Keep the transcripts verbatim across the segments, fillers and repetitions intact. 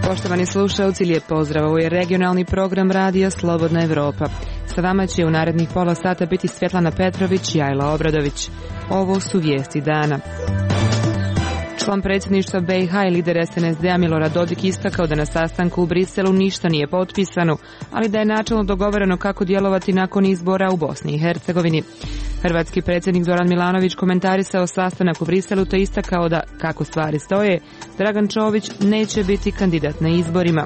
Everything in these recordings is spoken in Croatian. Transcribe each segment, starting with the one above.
Poštovani slušalci, lijep pozdrav. Ovo je regionalni program radija Slobodna Evropa. Sa vama će u narednih pola sata biti Svjetlana Petrović i Ajla Obradović. Ovo su vijesti dana. Član predsjedništva B i H i lider S N S D-a Milorad Dodik istakao da na sastanku u Briselu ništa nije potpisano, ali da je načelno dogovoreno kako djelovati nakon izbora u Bosni i Hercegovini. Hrvatski predsjednik Zoran Milanović komentarisao sastanak u Briselu te istakao da, kako stvari stoje, Dragan Čović neće biti kandidat na izborima.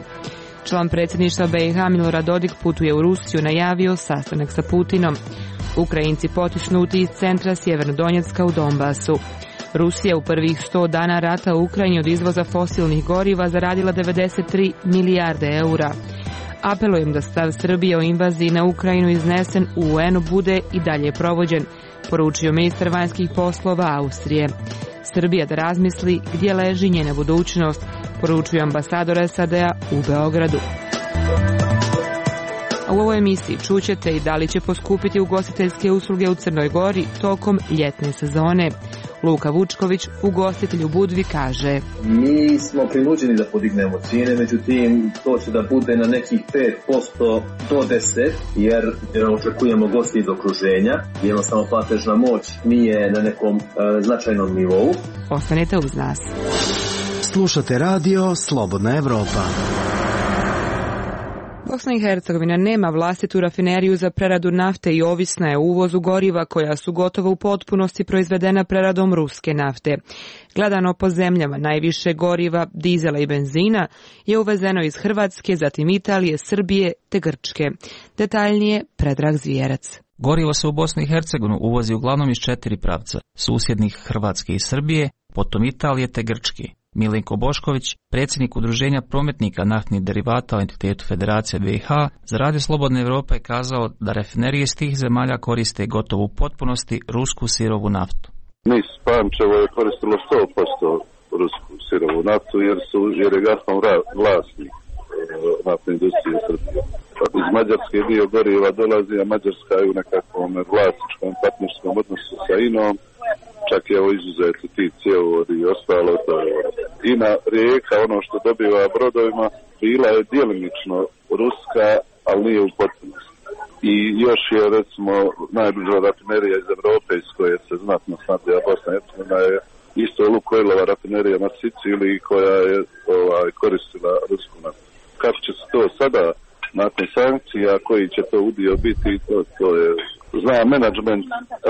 Član predsjedništva B i H Milorad Dodik putuje u Rusiju, najavio sastanak sa Putinom. Ukrajinci potisnuti iz centra Sjevernodonjecka u Donbasu. Rusija u prvih sto dana rata u Ukrajini od izvoza fosilnih goriva zaradila devedeset tri milijarde eura. Apelujem da stav Srbije o invaziji na Ukrajinu iznesen u U N-u bude i dalje provođen, poručio ministar vanjskih poslova Austrije. Srbija da razmisli gdje leži njena budućnost, poručuje ambasador S A D-a u Beogradu. A u ovoj emisiji čućete i da li će poskupiti ugostiteljske usluge u Crnoj Gori tokom ljetne sezone. Luka Vučković, ugostitelj u Budvi, kaže: Mi smo prinuđeni da podignemo cijene, međutim to će da bude na nekih pet posto do deset posto, jer, jer očekujemo gosti iz okruženja. Jednostavno platežna moć nije na nekom e, značajnom nivou. Ostanite uz nas. Slušate radio Slobodna Evropa. Bosna i Hercegovina nema vlastitu rafineriju za preradu nafte i ovisna je o uvozu goriva koja su gotovo u potpunosti proizvedena preradom ruske nafte. Gledano po zemljama, najviše goriva, dizela i benzina je uvezeno iz Hrvatske, zatim Italije, Srbije te Grčke. Detaljnije Predrag Zvijerac. Gorivo se u Bosnu i Hercegovinu uvozi uglavnom iz četiri pravca, susjednih Hrvatske i Srbije, potom Italije te Grčke. Milenko Bošković, predsjednik Udruženja prometnika naftnih derivata u entitetu Federacije B i H, za Radio Slobodne Evrope je kazao da rafinerije iz tih zemalja koriste gotovo u potpunosti rusku sirovu naftu. Mi Pančevo je koristilo sto posto rusku sirovu naftu jer, su, jer je Gazprom vlasnik naftne industrije Srbije. Iz Mađarske dio goriva dolazi, a Mađarska je u nekakvom vlasničkom partnerskom odnosu sa I N-om. Čak je ovo izuzeto ti cjevovodi i ostalo. INA Rijeka, ono što dobiva brodovima, bila je djelimično ruska, ali nije u potpunosti. I još je, recimo, najbliža rafinerija iz Evrope, iz koje se znatno snabdija Bosna i Hercegovina, je isto Lukoilova rafinerija na Siciliji, koja je ovaj, koristila rusku naftu. Kako će se to sada, nakon sankcija, koji će to udio biti, to, to je... Zna menadžment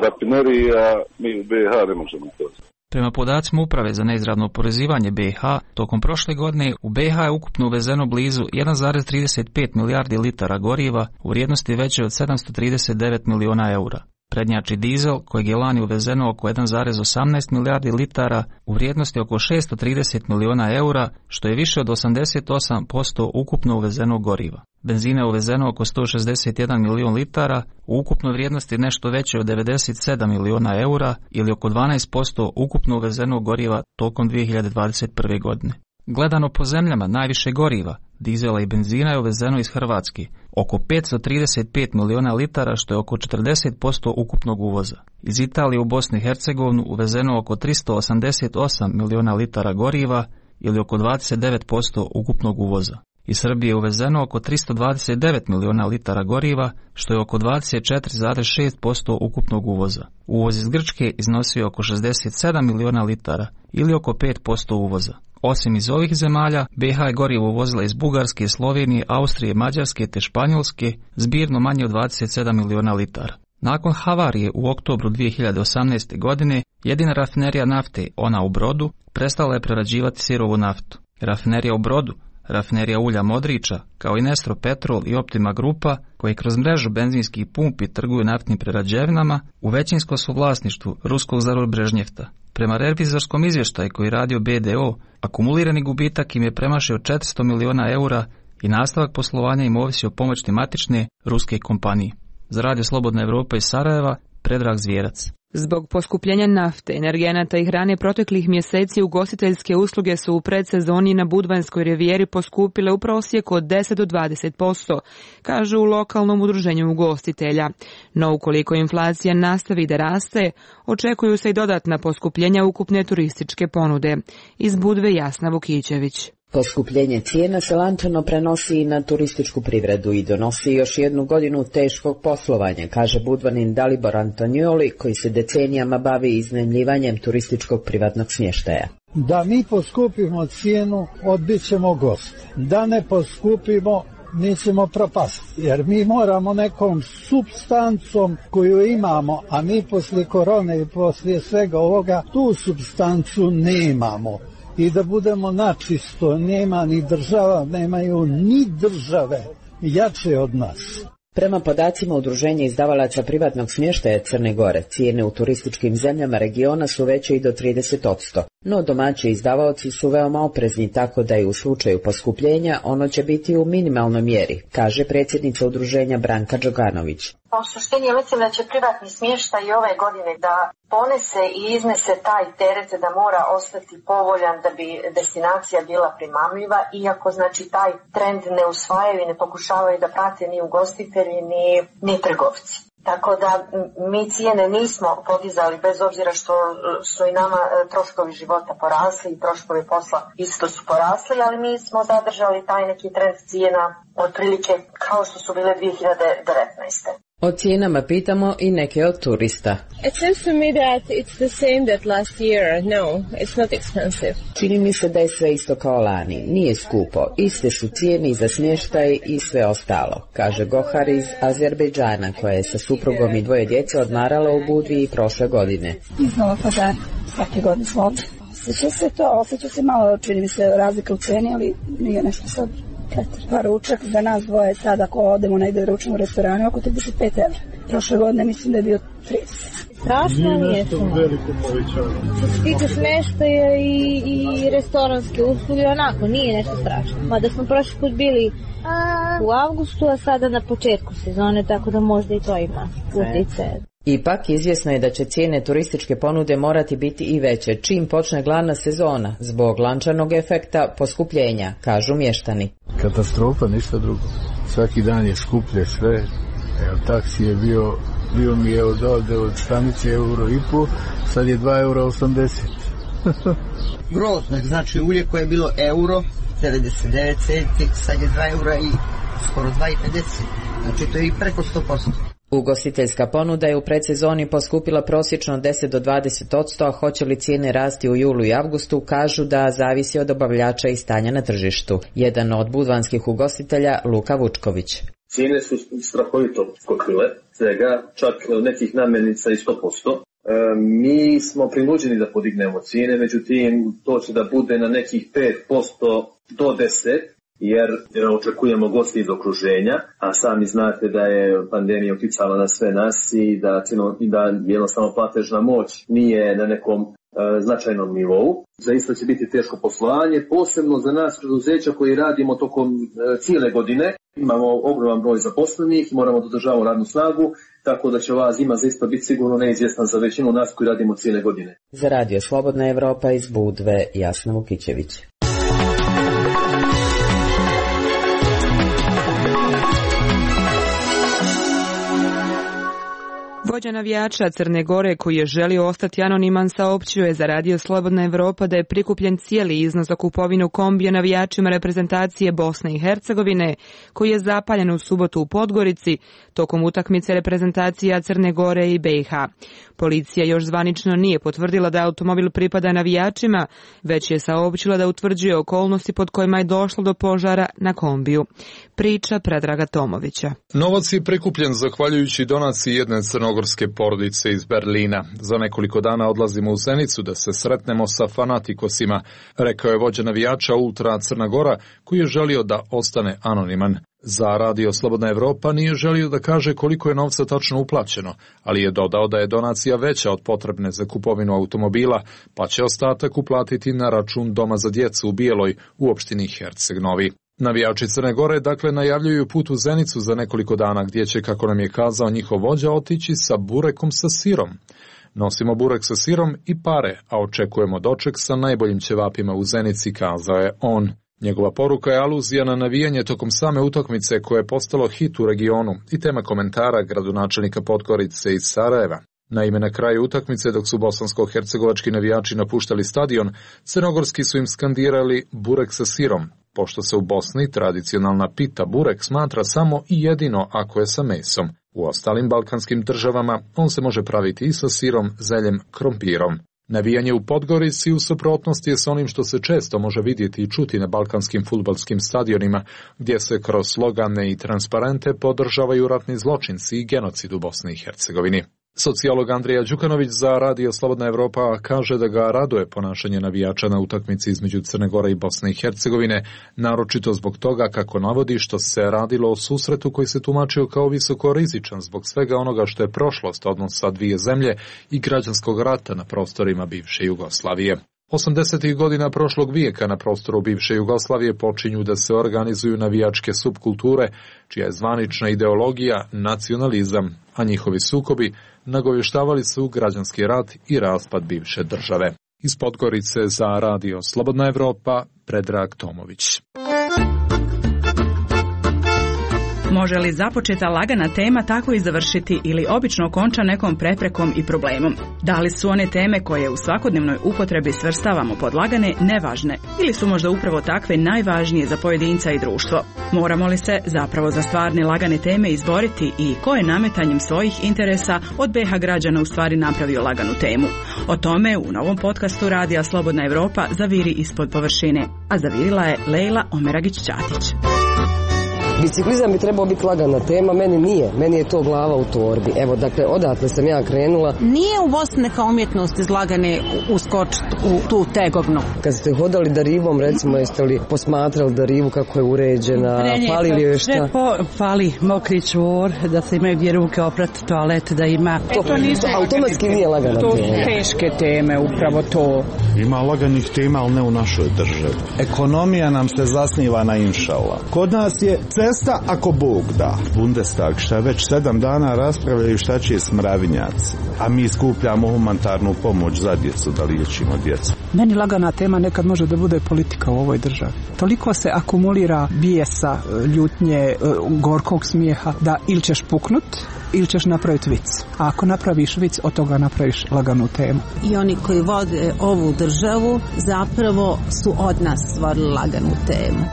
rafinerija, mi u B i H ne možemo to. Prema podacima Uprave za neizravno oporezivanje B i H, tokom prošle godine u B i H je ukupno uvezeno blizu jedan zarez trideset pet milijardi litara goriva u vrijednosti veće od sedamsto trideset devet miliona eura. Prednjači dizel, kojeg je lani uvezeno oko jedan zarez osamnaest milijardi litara u vrijednosti oko šesto trideset miliona eura, što je više od osamdeset osam posto ukupno uvezenog goriva. Benzina je uvezeno oko sto šezdeset jedan milion litara, u ukupnoj vrijednosti nešto veće od devedeset sedam miliona eura ili oko dvanaest posto ukupno uvezenog goriva tokom dvije hiljade dvadeset prve. godine. Gledano po zemljama, najviše goriva, dizela i benzina je uvezeno iz Hrvatske, oko petsto trideset pet miliona litara, što je oko četrdeset posto ukupnog uvoza. Iz Italije u Bosnu i Hercegovinu uvezeno oko tristo osamdeset osam miliona litara goriva ili oko dvadeset devet posto ukupnog uvoza. Iz Srbije je uvezeno oko tristo dvadeset devet miliona litara goriva, što je oko dvadeset četiri zarez šest posto ukupnog uvoza. Uvoz iz Grčke iznosio oko šezdeset sedam miliona litara ili oko pet posto uvoza. Osim iz ovih zemalja, B i H je gorivo uvozila iz Bugarske, Slovenije, Austrije, Mađarske te Španjolske, zbirno manje od dvadeset sedam miliona litara. Nakon havarije u oktobru dvije hiljade osamnaeste. godine, jedina rafinerija nafte, ona u Brodu, prestala je prerađivati sirovu naftu. Rafinerija u Brodu, rafinerija ulja Modriča, kao i Nestro Petrol i Optima Grupa, koji kroz mrežu benzinskih pumpi trguju naftnim prerađevinama, u većinskom su vlasništvu ruskog Zarubrežnjefta. Prema revizorskom izvještaju koji radio B D O, akumulirani gubitak im je premašio četiristo miliona eura i nastavak poslovanja im ovisi o pomoći matične ruske kompanije. Za Radio Slobodna Evropa iz Sarajeva, Predrag Zvijerac. Zbog poskupljenja nafte, energenata i hrane proteklih mjeseci ugostiteljske usluge su u predsezoni na Budvanskoj rivijeri poskupile u prosjeku od deset do dvadeset posto, kažu u lokalnom udruženju ugostitelja. No ukoliko inflacija nastavi da raste, očekuju se i dodatna poskupljenja ukupne turističke ponude. Iz Budve Jasna Vukićević. Poskupljenje cijena se lančano prenosi i na turističku privredu i donosi još jednu godinu teškog poslovanja, kaže Budvanin Dalibor Antonioli, koji se decenijama bavi iznajmljivanjem turističkog privatnog smještaja. Da mi poskupimo cijenu, odbit ćemo goste. Da ne poskupimo, mi ćemo propasti, jer mi moramo nekom supstancom koju imamo, a mi poslije korone i poslije svega ovoga tu supstancu nemamo. I da budemo načisto, nema ni država, nemaju ni države jače od nas. Prema podacima Udruženja izdavalaca privatnog smještaja Crne Gore, cijene u turističkim zemljama regiona su veće i do trideset posto. No domaći izdavaoci su veoma oprezni, tako da i u slučaju poskupljenja ono će biti u minimalnoj mjeri, kaže predsjednica udruženja Branka Đoganović. U suštini mislim da će privatni smještaj i ove godine da ponese i iznese taj teret da mora ostati povoljan da bi destinacija bila primamljiva, iako znači taj trend ne usvajaju i ne pokušavaju da prate ni ugostitelji ni, ni trgovci. Tako da mi cijene nismo podizali bez obzira što su i nama troškovi života porasli i troškovi posla isto su porasli, ali mi smo zadržali taj neki trend cijena otprilike kao što su bile dvije hiljade devetnaeste. O cijenama pitamo i neke od turista. It seems to me that it's the same that last year. No, it's not expensive. Čini mi se da je sve isto kao lani. Nije skupo. Iste su cijene i za smještaj i sve ostalo, kaže Gohar iz Azerbejdžana, koja je sa suprugom i dvoje djece odmarala u Budvi i prošle godine. Iz Novog Pazara. Svake godine smo ovdje. Osjeća se to, osjeća se malo, čini mi se razlika u ceni, ali nije nešto sad. Pa ručak za nas dvoje sad ako odemo negdje ručnom u restoranu oko trideset pet evra. Prošle godine mislim da je bio trideset. Strašno nije to veliko povećanje. Što se tiče smještaja i, i restoranske usluge, onako nije nešto strašno. Mada smo prošli put bili u avgustu, a sada na početku sezone, tako da možda i to ima utjecaj. Ipak, izvjesno je da će cijene turističke ponude morati biti i veće čim počne glavna sezona, zbog lančanog efekta poskupljenja, kažu mještani. Katastrofa, ništa drugo. Svaki dan je skuplje sve. Evo, taksi je bio, bio mi je od ovde od Štanice euro i po, sad je dva eura osamdeset. Grozno, znači ulje koje je bilo euro, devedeset devet centi, sad je dva eura i skoro dva i pedeset. Znači to je i preko sto posto. Ugostiteljska ponuda je u predsezoni poskupila prosječno deset do dvadeset posto, a hoće li cijene rasti u julu i avgustu, kažu da zavisi od dobavljača i stanja na tržištu. Jedan od budvanskih ugostitelja, Luka Vučković. Cijene su strahovito skokile, svega čak nekih namirnica i sto posto. E, mi smo prinuđeni da podignemo cijene, međutim to će da bude na nekih pet posto do deset posto. Jer, jer očekujemo gosti iz okruženja, a sami znate da je pandemija utjecala na sve nas i da, i da jednostavno platežna moć nije na nekom e, značajnom nivou. Zaista će biti teško poslovanje, posebno za nas preduzeća koji radimo tokom e, cijele godine. Imamo ogroman broj zaposlenih i moramo da održavamo radnu snagu, tako da će ova zima zaista biti sigurno neizvjesna za većinu nas koji radimo cijele godine. Za Radio Slobodna Evropa iz Budve, Jasna Vukićević. Vođa navijača Crne Gore, koji je želio ostati anoniman, saopćio je za Radio Slobodna Evropa da je prikupljen cijeli iznos za kupovinu kombija navijačima reprezentacije Bosne i Hercegovine, koji je zapaljen u subotu u Podgorici tokom utakmice reprezentacija Crne Gore i B i H. Policija još zvanično nije potvrdila da automobil pripada navijačima, već je saopćila da utvrđuje okolnosti pod kojima je došlo do požara na kombiju. Priča Predraga Tomovića. Novac je prikupljen zahvaljujući donaciji jedne crnogorske porodice iz Berlina. Za nekoliko dana odlazimo u Zenicu da se sretnemo sa fanatikosima, rekao je vođa navijača Ultra Crna Gora, koji je želio da ostane anoniman. Za Radio Slobodna Evropa nije želio da kaže koliko je novca tačno uplaćeno, ali je dodao da je donacija veća od potrebne za kupovinu automobila, pa će ostatak uplatiti na račun Doma za djecu u Bijeloj u opštini Herceg Novi. Navijači Crne Gore dakle najavljuju put u Zenicu za nekoliko dana, gdje će, kako nam je kazao njihov vođa, otići sa burekom sa sirom. Nosimo burek sa sirom i pare, a očekujemo doček sa najboljim ćevapima u Zenici, kazao je on. Njegova poruka je aluzija na navijanje tokom same utakmice koje je postalo hit u regionu i tema komentara gradonačelnika Podgorice iz Sarajeva. Naime, na kraju utakmice, dok su bosansko-hercegovački navijači napuštali stadion, crnogorski su im skandirali burek sa sirom, pošto se u Bosni tradicionalna pita burek smatra samo i jedino ako je sa mesom. U ostalim balkanskim državama on se može praviti i sa sirom, zeljem, krompirom. Navijanje u Podgorici u suprotnosti je s onim što se često može vidjeti i čuti na balkanskim fudbalskim stadionima, gdje se kroz slogane i transparente podržavaju ratni zločinci i genocid u Bosni i Hercegovini. Sociolog Andrija Đukanović za Radio Slobodna Evropa kaže da ga raduje ponašanje navijača na utakmici između Crne Gore i Bosne i Hercegovine, naročito zbog toga, kako navodi, što se radilo o susretu koji se tumačio kao visoko rizičan zbog svega onoga što je prošlost odnosa dvije zemlje i građanskog rata na prostorima bivše Jugoslavije. osamdesetih godina prošlog vijeka na prostoru bivše Jugoslavije počinju da se organizuju navijačke subkulture, čija je zvanična ideologija nacionalizam, a njihovi sukobi nagovještavali su građanski rat i raspad bivše države. Iz Podgorice za Radio Slobodna Evropa, Predrag Tomović. Može li započeta lagana tema tako i završiti ili obično konča nekom preprekom i problemom? Da li su one teme koje u svakodnevnoj upotrebi svrstavamo pod lagane nevažne ili su možda upravo takve najvažnije za pojedinca i društvo? Moramo li se zapravo za stvarne lagane teme izboriti i ko je nametanjem svojih interesa od B H građana u stvari napravio laganu temu? O tome u novom podcastu Radija Slobodna Evropa Zaviri ispod površine, a zavirila je Lejla Omeragić-Ćatić. Biciklizam bi trebao biti lagana tema, meni nije, meni je to glava u torbi. Evo, dakle, odatle sam ja krenula. Nije u Bosni neka umjetnost izlagane uskočiti u tu tegovnu. Kad ste hodali Darivom, recimo, jeste li posmatrali Darivu kako je uređena, fali li joj šta? Po, fali mokri čvor, da se imaju gdje ruke oprati, toalet, da ima. To, e, to nisu automatski nije lagana to tema. To su teške teme, upravo to. Ima laganih tema, ali ne u našoj državi. Ekonomija nam se zasniva na inšala. Kod nas je cesta ako Bog da. Bundestag šta već sedam dana raspravljaju šta će smravinjaci, a mi skupljamo humanitarnu pomoć za djecu, da liječimo djecu. Meni lagana tema nekad može da bude politika u ovoj državi. Toliko se akumulira bijesa, ljutnje, gorkog smijeha da ili ćeš puknut ili ćeš napraviti vic. A ako napraviš vic, od toga napraviš laganu temu. I oni koji vode ovu državu zapravo su od nas stvorili laganu temu.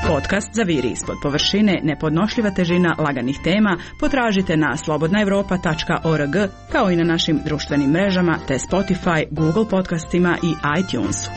Podcast Zaviri ispod površine, nepodnošljiva težina laganih tema potražite na slobodna evropa tačka org kao i na našim društvenim mrežama te Spotify, Google podcastima i iTunesu.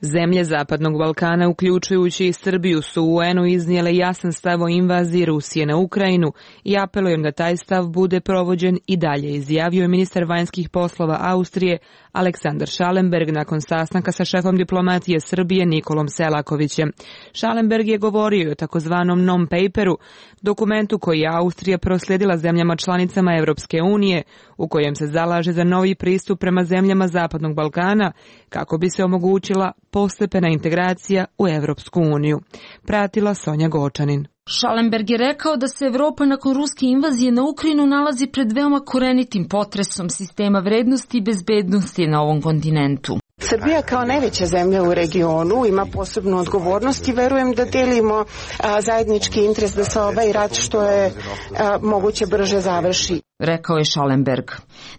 Zemlje Zapadnog Balkana, uključujući i Srbiju, su u U N-u iznijele jasan stav o invaziji Rusije na Ukrajinu i apelujem da taj stav bude provođen i dalje, izjavio je ministar vanjskih poslova Austrije Aleksandar Schallenberg nakon sastanka sa šefom diplomatije Srbije Nikolom Selakovićem. Schallenberg je govorio o takozvanom non-paperu, dokumentu koji je Austrija proslijedila zemljama članicama Europske unije, u kojem se zalaže za novi pristup prema zemljama Zapadnog Balkana kako bi se omogućila postepena integracija u Europsku uniju. Pratila Sonja Gočanin. Schallenberg je rekao da se Evropa nakon ruske invazije na Ukrajinu nalazi pred veoma korenitim potresom sistema vrednosti i bezbednosti na ovom kontinentu. Srbija kao najveća zemlja u regionu ima posebnu odgovornost i verujem da delimo a, zajednički interes da se ovaj rat što je a, moguće brže završi. Rekao je Schallenberg.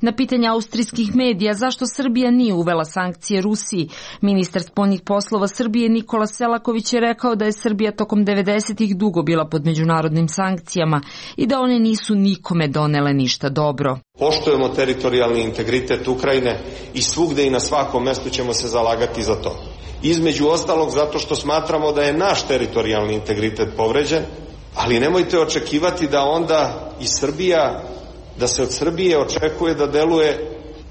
Na pitanje austrijskih medija zašto Srbija nije uvela sankcije Rusiji, ministar spoljnih poslova Srbije Nikola Selaković je rekao da je Srbija tokom devedesetih dugo bila pod međunarodnim sankcijama i da one nisu nikome donele ništa dobro. Poštujemo teritorijalni integritet Ukrajine i svugde i na svakom mestu ćemo se zalagati za to. Između ostalog zato što smatramo da je naš teritorijalni integritet povređen, ali nemojte očekivati da onda i Srbija, da se od Srbije očekuje da deluje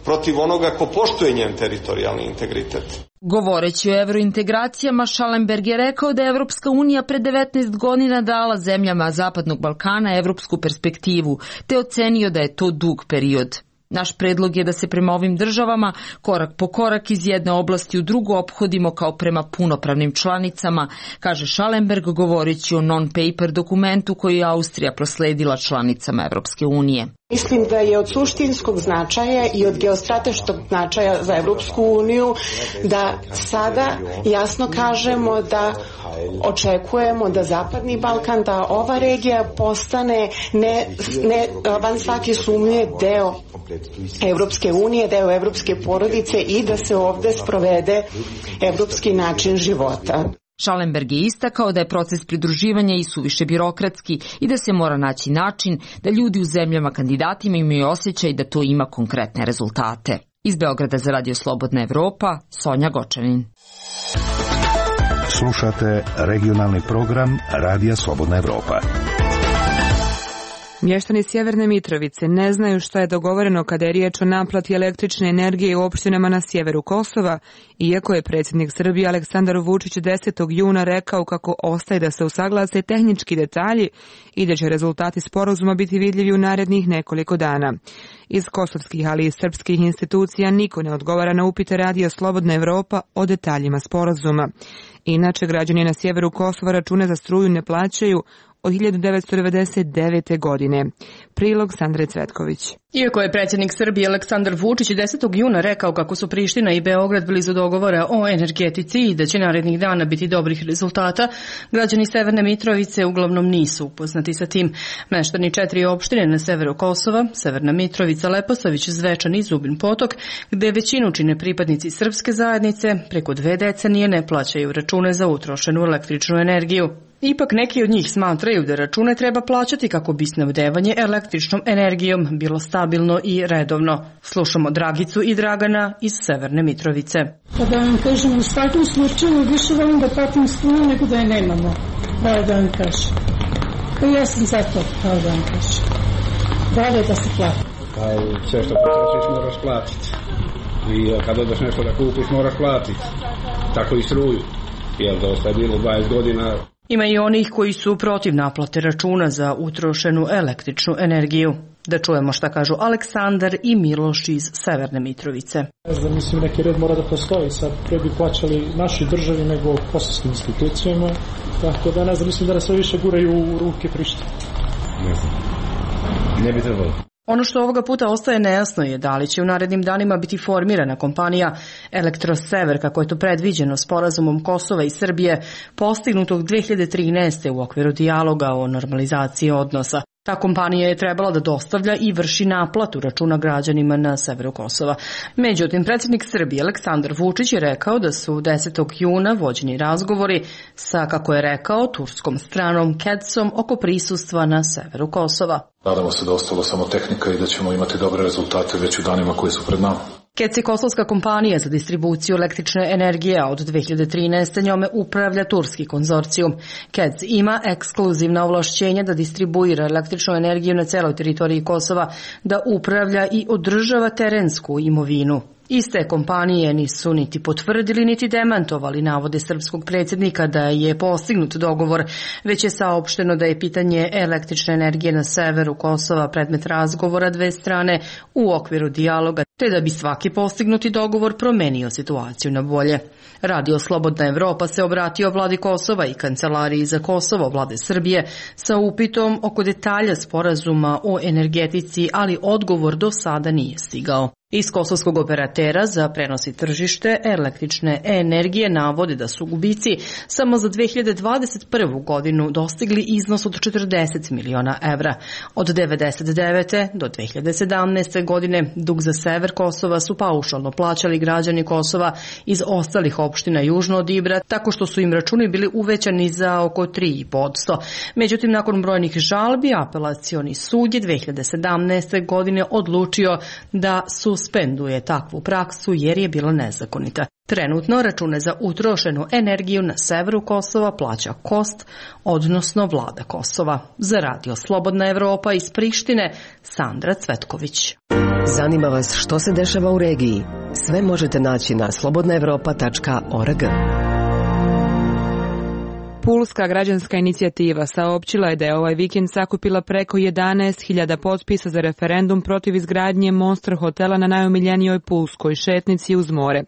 protiv onoga ko poštuje njen teritorijalni integritet. Govoreći o evrointegracijama, Schallenberg je rekao da je Evropska unija pre devetnaest godina dala zemljama Zapadnog Balkana evropsku perspektivu, te ocenio da je to dug period. Naš predlog je da se prema ovim državama korak po korak iz jedne oblasti u drugu ophodimo kao prema punopravnim članicama, kaže Schallenberg govoreći o non-paper dokumentu koji je Austrija prosledila članicama Evropske unije. Mislim da je od suštinskog značaja i od geostrateškog značaja za Evropsku uniju da sada jasno kažemo da očekujemo da Zapadni Balkan, da ova regija postane ne, ne van svake sumnje deo Evropske unije, deo evropske porodice i da se ovde sprovede evropski način života. Schallenberg je istakao da je proces pridruživanja i suviše birokratski i da se mora naći način da ljudi u zemljama kandidatima imaju osjećaj da to ima konkretne rezultate. Iz Beograda za Radio Slobodna Evropa, Sonja Gočanin. Slušate regionalni program Radija Slobodna Evropa. Mještani Sjeverne Mitrovice ne znaju šta je dogovoreno kada je riječ o naplati električne energije u opštinama na sjeveru Kosova, iako je predsjednik Srbije Aleksandar Vučić desetog juna rekao kako ostaje da se usaglase tehnički detalji i da će rezultati sporazuma biti vidljivi u narednih nekoliko dana. Iz kosovskih, ali i srpskih institucija niko ne odgovara na upite Radija Slobodna Evropa o detaljima sporazuma. Inače, građani na sjeveru Kosova račune za struju ne plaćaju od hiljadu devetsto devedeset devete. godine. Prilog Sandre Cvetković. Iako je predsjednik Srbije Aleksandar Vučić desetog juna rekao kako su Priština i Beograd blizu dogovora o energetici i da će narednih dana biti dobrih rezultata, građani Severne Mitrovice uglavnom nisu upoznati sa tim. Meštani četiri opštine na severu Kosova, Severna Mitrovica, Leposavić, Zvečan i Zubin Potok, gde većinu čine pripadnici srpske zajednice, preko dve decenije ne plaćaju račune za utrošenu električnu energiju. Ipak neki od njih smatraju da račune treba plaćati kako bi snabdevanje električnom energijom bilo stabilno i redovno. Slušamo Dragicu i Dragana iz Severne Mitrovice. Pa da vam kažem, u svakom slučaju više volim da platim struju nego da je nemamo. Da da vam kažem. Pa ja sam za to, kao da vam kažem. Bolje da se plati. Pa sve što potrošiš moraš platiti. I kad odeš nešto da kupiš moraš platiti. Tako i struju. Jer dosta je bilo dvadeset godina... Ima i onih koji su protiv naplate računa za utrošenu električnu energiju. Da čujemo šta kažu Aleksandar i Miloš iz Severne Mitrovice. Ne znam, mislim, neki red mora da postoji. Sad pre bi plaćali naši državi nego kosovskim institucijama. Tako da ne znam, mislim da nas sve više guraju u ruke Prištine. Ne znam. Ne bi trebalo. Ono što ovoga puta ostaje nejasno je da li će u narednim danima biti formirana kompanija Elektrosever, kako je to predviđeno sporazumom Kosova i Srbije, postignutog dve hiljade trinaeste. u okviru dijaloga o normalizaciji odnosa. Ta kompanija je trebala da dostavlja i vrši naplatu računa građanima na severu Kosova. Međutim, predsjednik Srbije Aleksandar Vučić je rekao da su desetog juna vođeni razgovori sa, kako je rekao, turskom stranom K E D S-om oko prisustva na severu Kosova. Nadamo se da ostalo samo tehnika i da ćemo imati dobre rezultate već u danima koji su pred nama. K E D S je kosovska kompanija za distribuciju električne energije, a od dve hiljade trinaeste. njome upravlja turski konzorcijum. K E D S ima ekskluzivna ovlašćenja da distribuira električnu energiju na celoj teritoriji Kosova, da upravlja i održava terensku imovinu. Iste kompanije nisu niti potvrdili niti demantovali navode srpskog predsjednika da je postignut dogovor, već je saopšteno da je pitanje električne energije na severu Kosova predmet razgovora dve strane u okviru dijaloga, te da bi svaki postignuti dogovor promenio situaciju na bolje. Radio Slobodna Evropa se obratio vladi Kosova i Kancelariji za Kosovo vlade Srbije sa upitom oko detalja sporazuma o energetici, ali odgovor do sada nije stigao. Iz kosovskog operatera za prenos i tržište električne energije navode da su gubici samo za dve hiljade dvadeset prvu. godinu dostigli iznos od četrdeset miliona evra. Od devedeset devete. do dve hiljade sedamnaeste. godine dug za sever Kosova su paušalno plaćali građani Kosova iz ostalih opština južno od Ibra, tako što su im računi bili uvećani za oko tri i po posto. Međutim, nakon brojnih žalbi, apelacioni sud je dve hiljade sedamnaeste. godine odlučio da suspenduje takvu praksu jer je bila nezakonita. Trenutno račune za utrošenu energiju na severu Kosova plaća K O S T, odnosno vlada Kosova. Za Radio Slobodna Evropa iz Prištine, Sandra Cvetković. Zanima vas što se dešava u regiji? Sve možete naći na slobodna evropa tačka org. Pulska građanska inicijativa saopćila je da je ovaj vikend sakupila preko jedanaest hiljada potpisa za referendum protiv izgradnje Monster hotela na najomiljenijoj pulskoj šetnici uz more.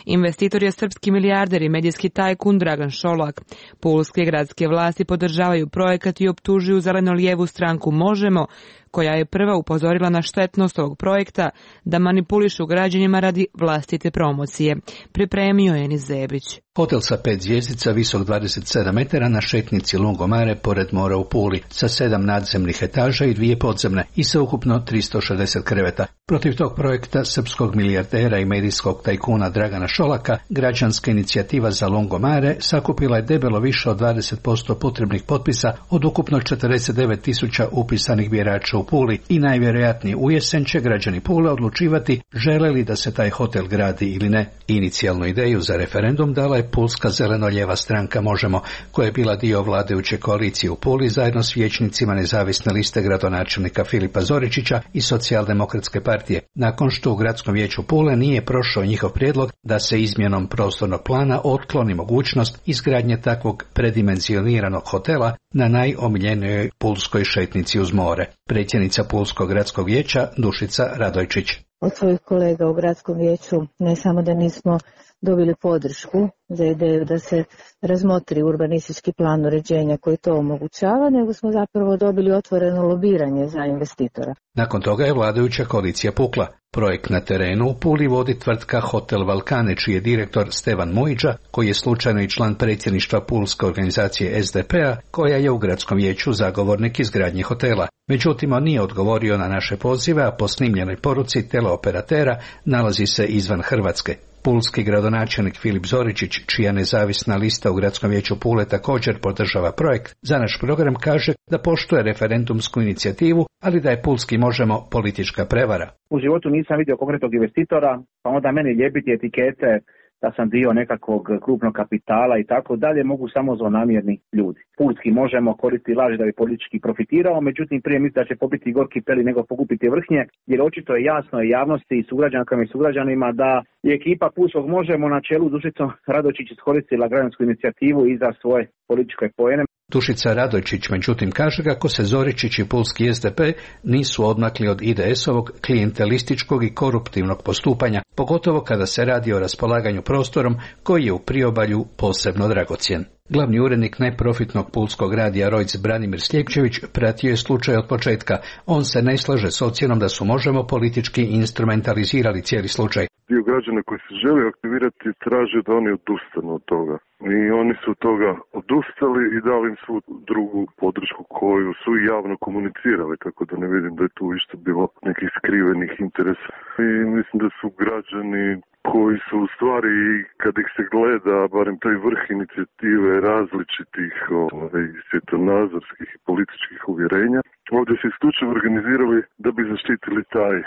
Investitor je srpski milijarder i medijski tajkun Dragan Šolak. Pulske gradske vlasti podržavaju projekat i optužuju zeleno-lijevu stranku Možemo, koja je prva upozorila na štetnost ovog projekta da manipulišu građanima radi vlastite promocije. Pripremio je Enis Zebić. Hotel sa pet zvjezdica, visok dvadeset sedam metara na šetnici Lungomare pored mora u Puli, sa sedam nadzemnih etaža i dvije podzemne i sa ukupno tristo šezdeset kreveta. Protiv tog projekta srpskog milijardera i medijskog tajkuna Dragana Šolaka, građanska inicijativa za Lungomare sakupila je debelo više od dvadeset posto potrebnih potpisa od ukupno četrdeset devet tisuća upisanih birača u Puli i najvjerojatnije u jesen će građani Pule odlučivati žele li da se taj hotel gradi ili ne. Inicijalnu ideju za referendum dala je Pulska zeleno-lijeva stranka Možemo, koja je bila dio vladajuće koalicije u Puli zajedno s vijećnicima nezavisne liste gradonačelnika Filipa Zoričića i socijaldemokratske partije, nakon što u gradskom vijeću Pule nije prošao njihov prijedlog da se izmjenom prostornog plana otkloni mogućnost izgradnje takvog predimenzioniranog hotela na najomiljenijoj pulskoj šetnici uz more. Predsjednica Pulskog gradskog vijeća Dušica Radojčić. Od svojih kolega u gradskom vijeću ne samo da nismo dobili podršku za ideju da se razmotri urbanistički plan uređenja koji to omogućava, nego smo zapravo dobili otvoreno lobiranje za investitora. Nakon toga je vladajuća koalicija pukla. Projekt na terenu u Puli vodi tvrtka Hotel Valkane, čiji je direktor Stevan Mujiđa, koji je slučajno i član predsjedništva Pulske organizacije es de pe a, koja je u gradskom vijeću zagovornik izgradnje hotela. Međutim, on nije odgovorio na naše pozive, a po snimljenoj poruci teleoperatera nalazi se izvan Hrvatske. Pulski gradonačelnik Filip Zoričić, čija nezavisna lista u gradskom vijeću Pule također podržava projekt, za naš program kaže da poštuje referendumsku inicijativu, ali da je Pulski Možemo politička prevara. U životu nisam vidio konkretnog investitora, pa onda meni ljepiti etikete da sam dio nekakvog krupnog kapitala i tako dalje, mogu samo zlonamjerni ljudi. Pulski Možemo koristiti laži da bi politički profitirao, međutim prije misli da će pobiti gorki peli nego pokupiti vrhnje, jer očito je jasno i javnosti i sugrađankama i sugrađanima da je ekipa Pulskog Možemo na čelu Dušicom Radojčić iskoristila građansku inicijativu i za svoje političke poene. Dušica Radojčić međutim kaže kako se Zoričić i Pulski es de pe nisu odmakli od i de esovog klijentelističkog i koruptivnog postupanja, pogotovo kada se radi o raspolaganju prostorom koji je u priobalju posebno dragocjen. Glavni urednik neprofitnog pulskog radija Rojc Branimir Sljepčević pratio je slučaj od početka. On se ne slaže s ocjenom da su Možemo politički instrumentalizirali cijeli slučaj. Dio građana koji se želi aktivirati traže da oni odustanu od toga. I oni su od toga odustali i dali im svu drugu podršku koju su javno komunicirali, tako da ne vidim da je tu isto bilo nekih skrivenih interesa. I mislim da su građani koji su u stvari, kad ih se gleda, barem taj vrh inicijative različitih ovaj, svjetonazorskih i političkih uvjerenja, ovdje se isključivo organizirali da bi zaštitili taj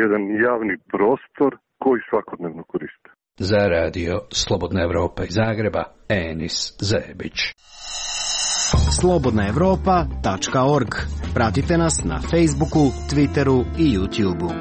jedan javni prostor koji svakodnevno koriste. Za radio Slobodna Evropa iz Zagreba, Enis Zebić. slobodna evropa tačka org. Pratite nas na Facebooku, Twitteru i YouTubeu.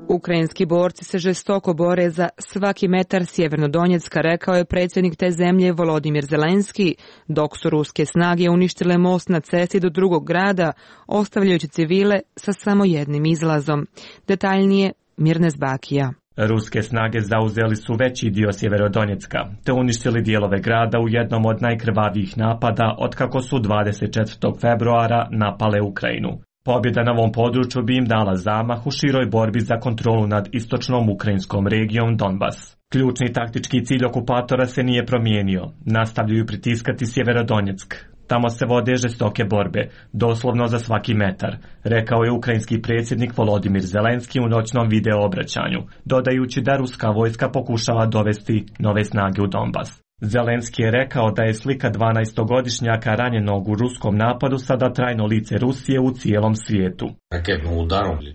Ukrajinski borci se žestoko bore za svaki metar Sjevernodonjecka, rekao je predsjednik te zemlje Volodimir Zelenski, dok su ruske snage uništile most na cesti do drugog grada, ostavljajući civile sa samo jednim izlazom. Detaljnije Mirnes Bakija. Ruske snage zauzeli su veći dio Sjeverodonjecka, te uništili dijelove grada u jednom od najkrvavijih napada otkako su dvadeset četvrtog februara napale Ukrajinu. Pobjeda na ovom području bi im dala zamah u široj borbi za kontrolu nad istočnom ukrajinskom regijom Donbas. Ključni taktički cilj okupatora se nije promijenio, nastavljaju pritiskati Sjeverodonjeck. Tamo se vode žestoke borbe, doslovno za svaki metar, rekao je ukrajinski predsjednik Volodimir Zelenski u noćnom video obraćanju, dodajući da ruska vojska pokušava dovesti nove snage u Donbas. Zelenski je rekao da je slika dvanaestogodišnjaka ranjenog u ruskom napadu sada trajno lice Rusije u cijelom svijetu.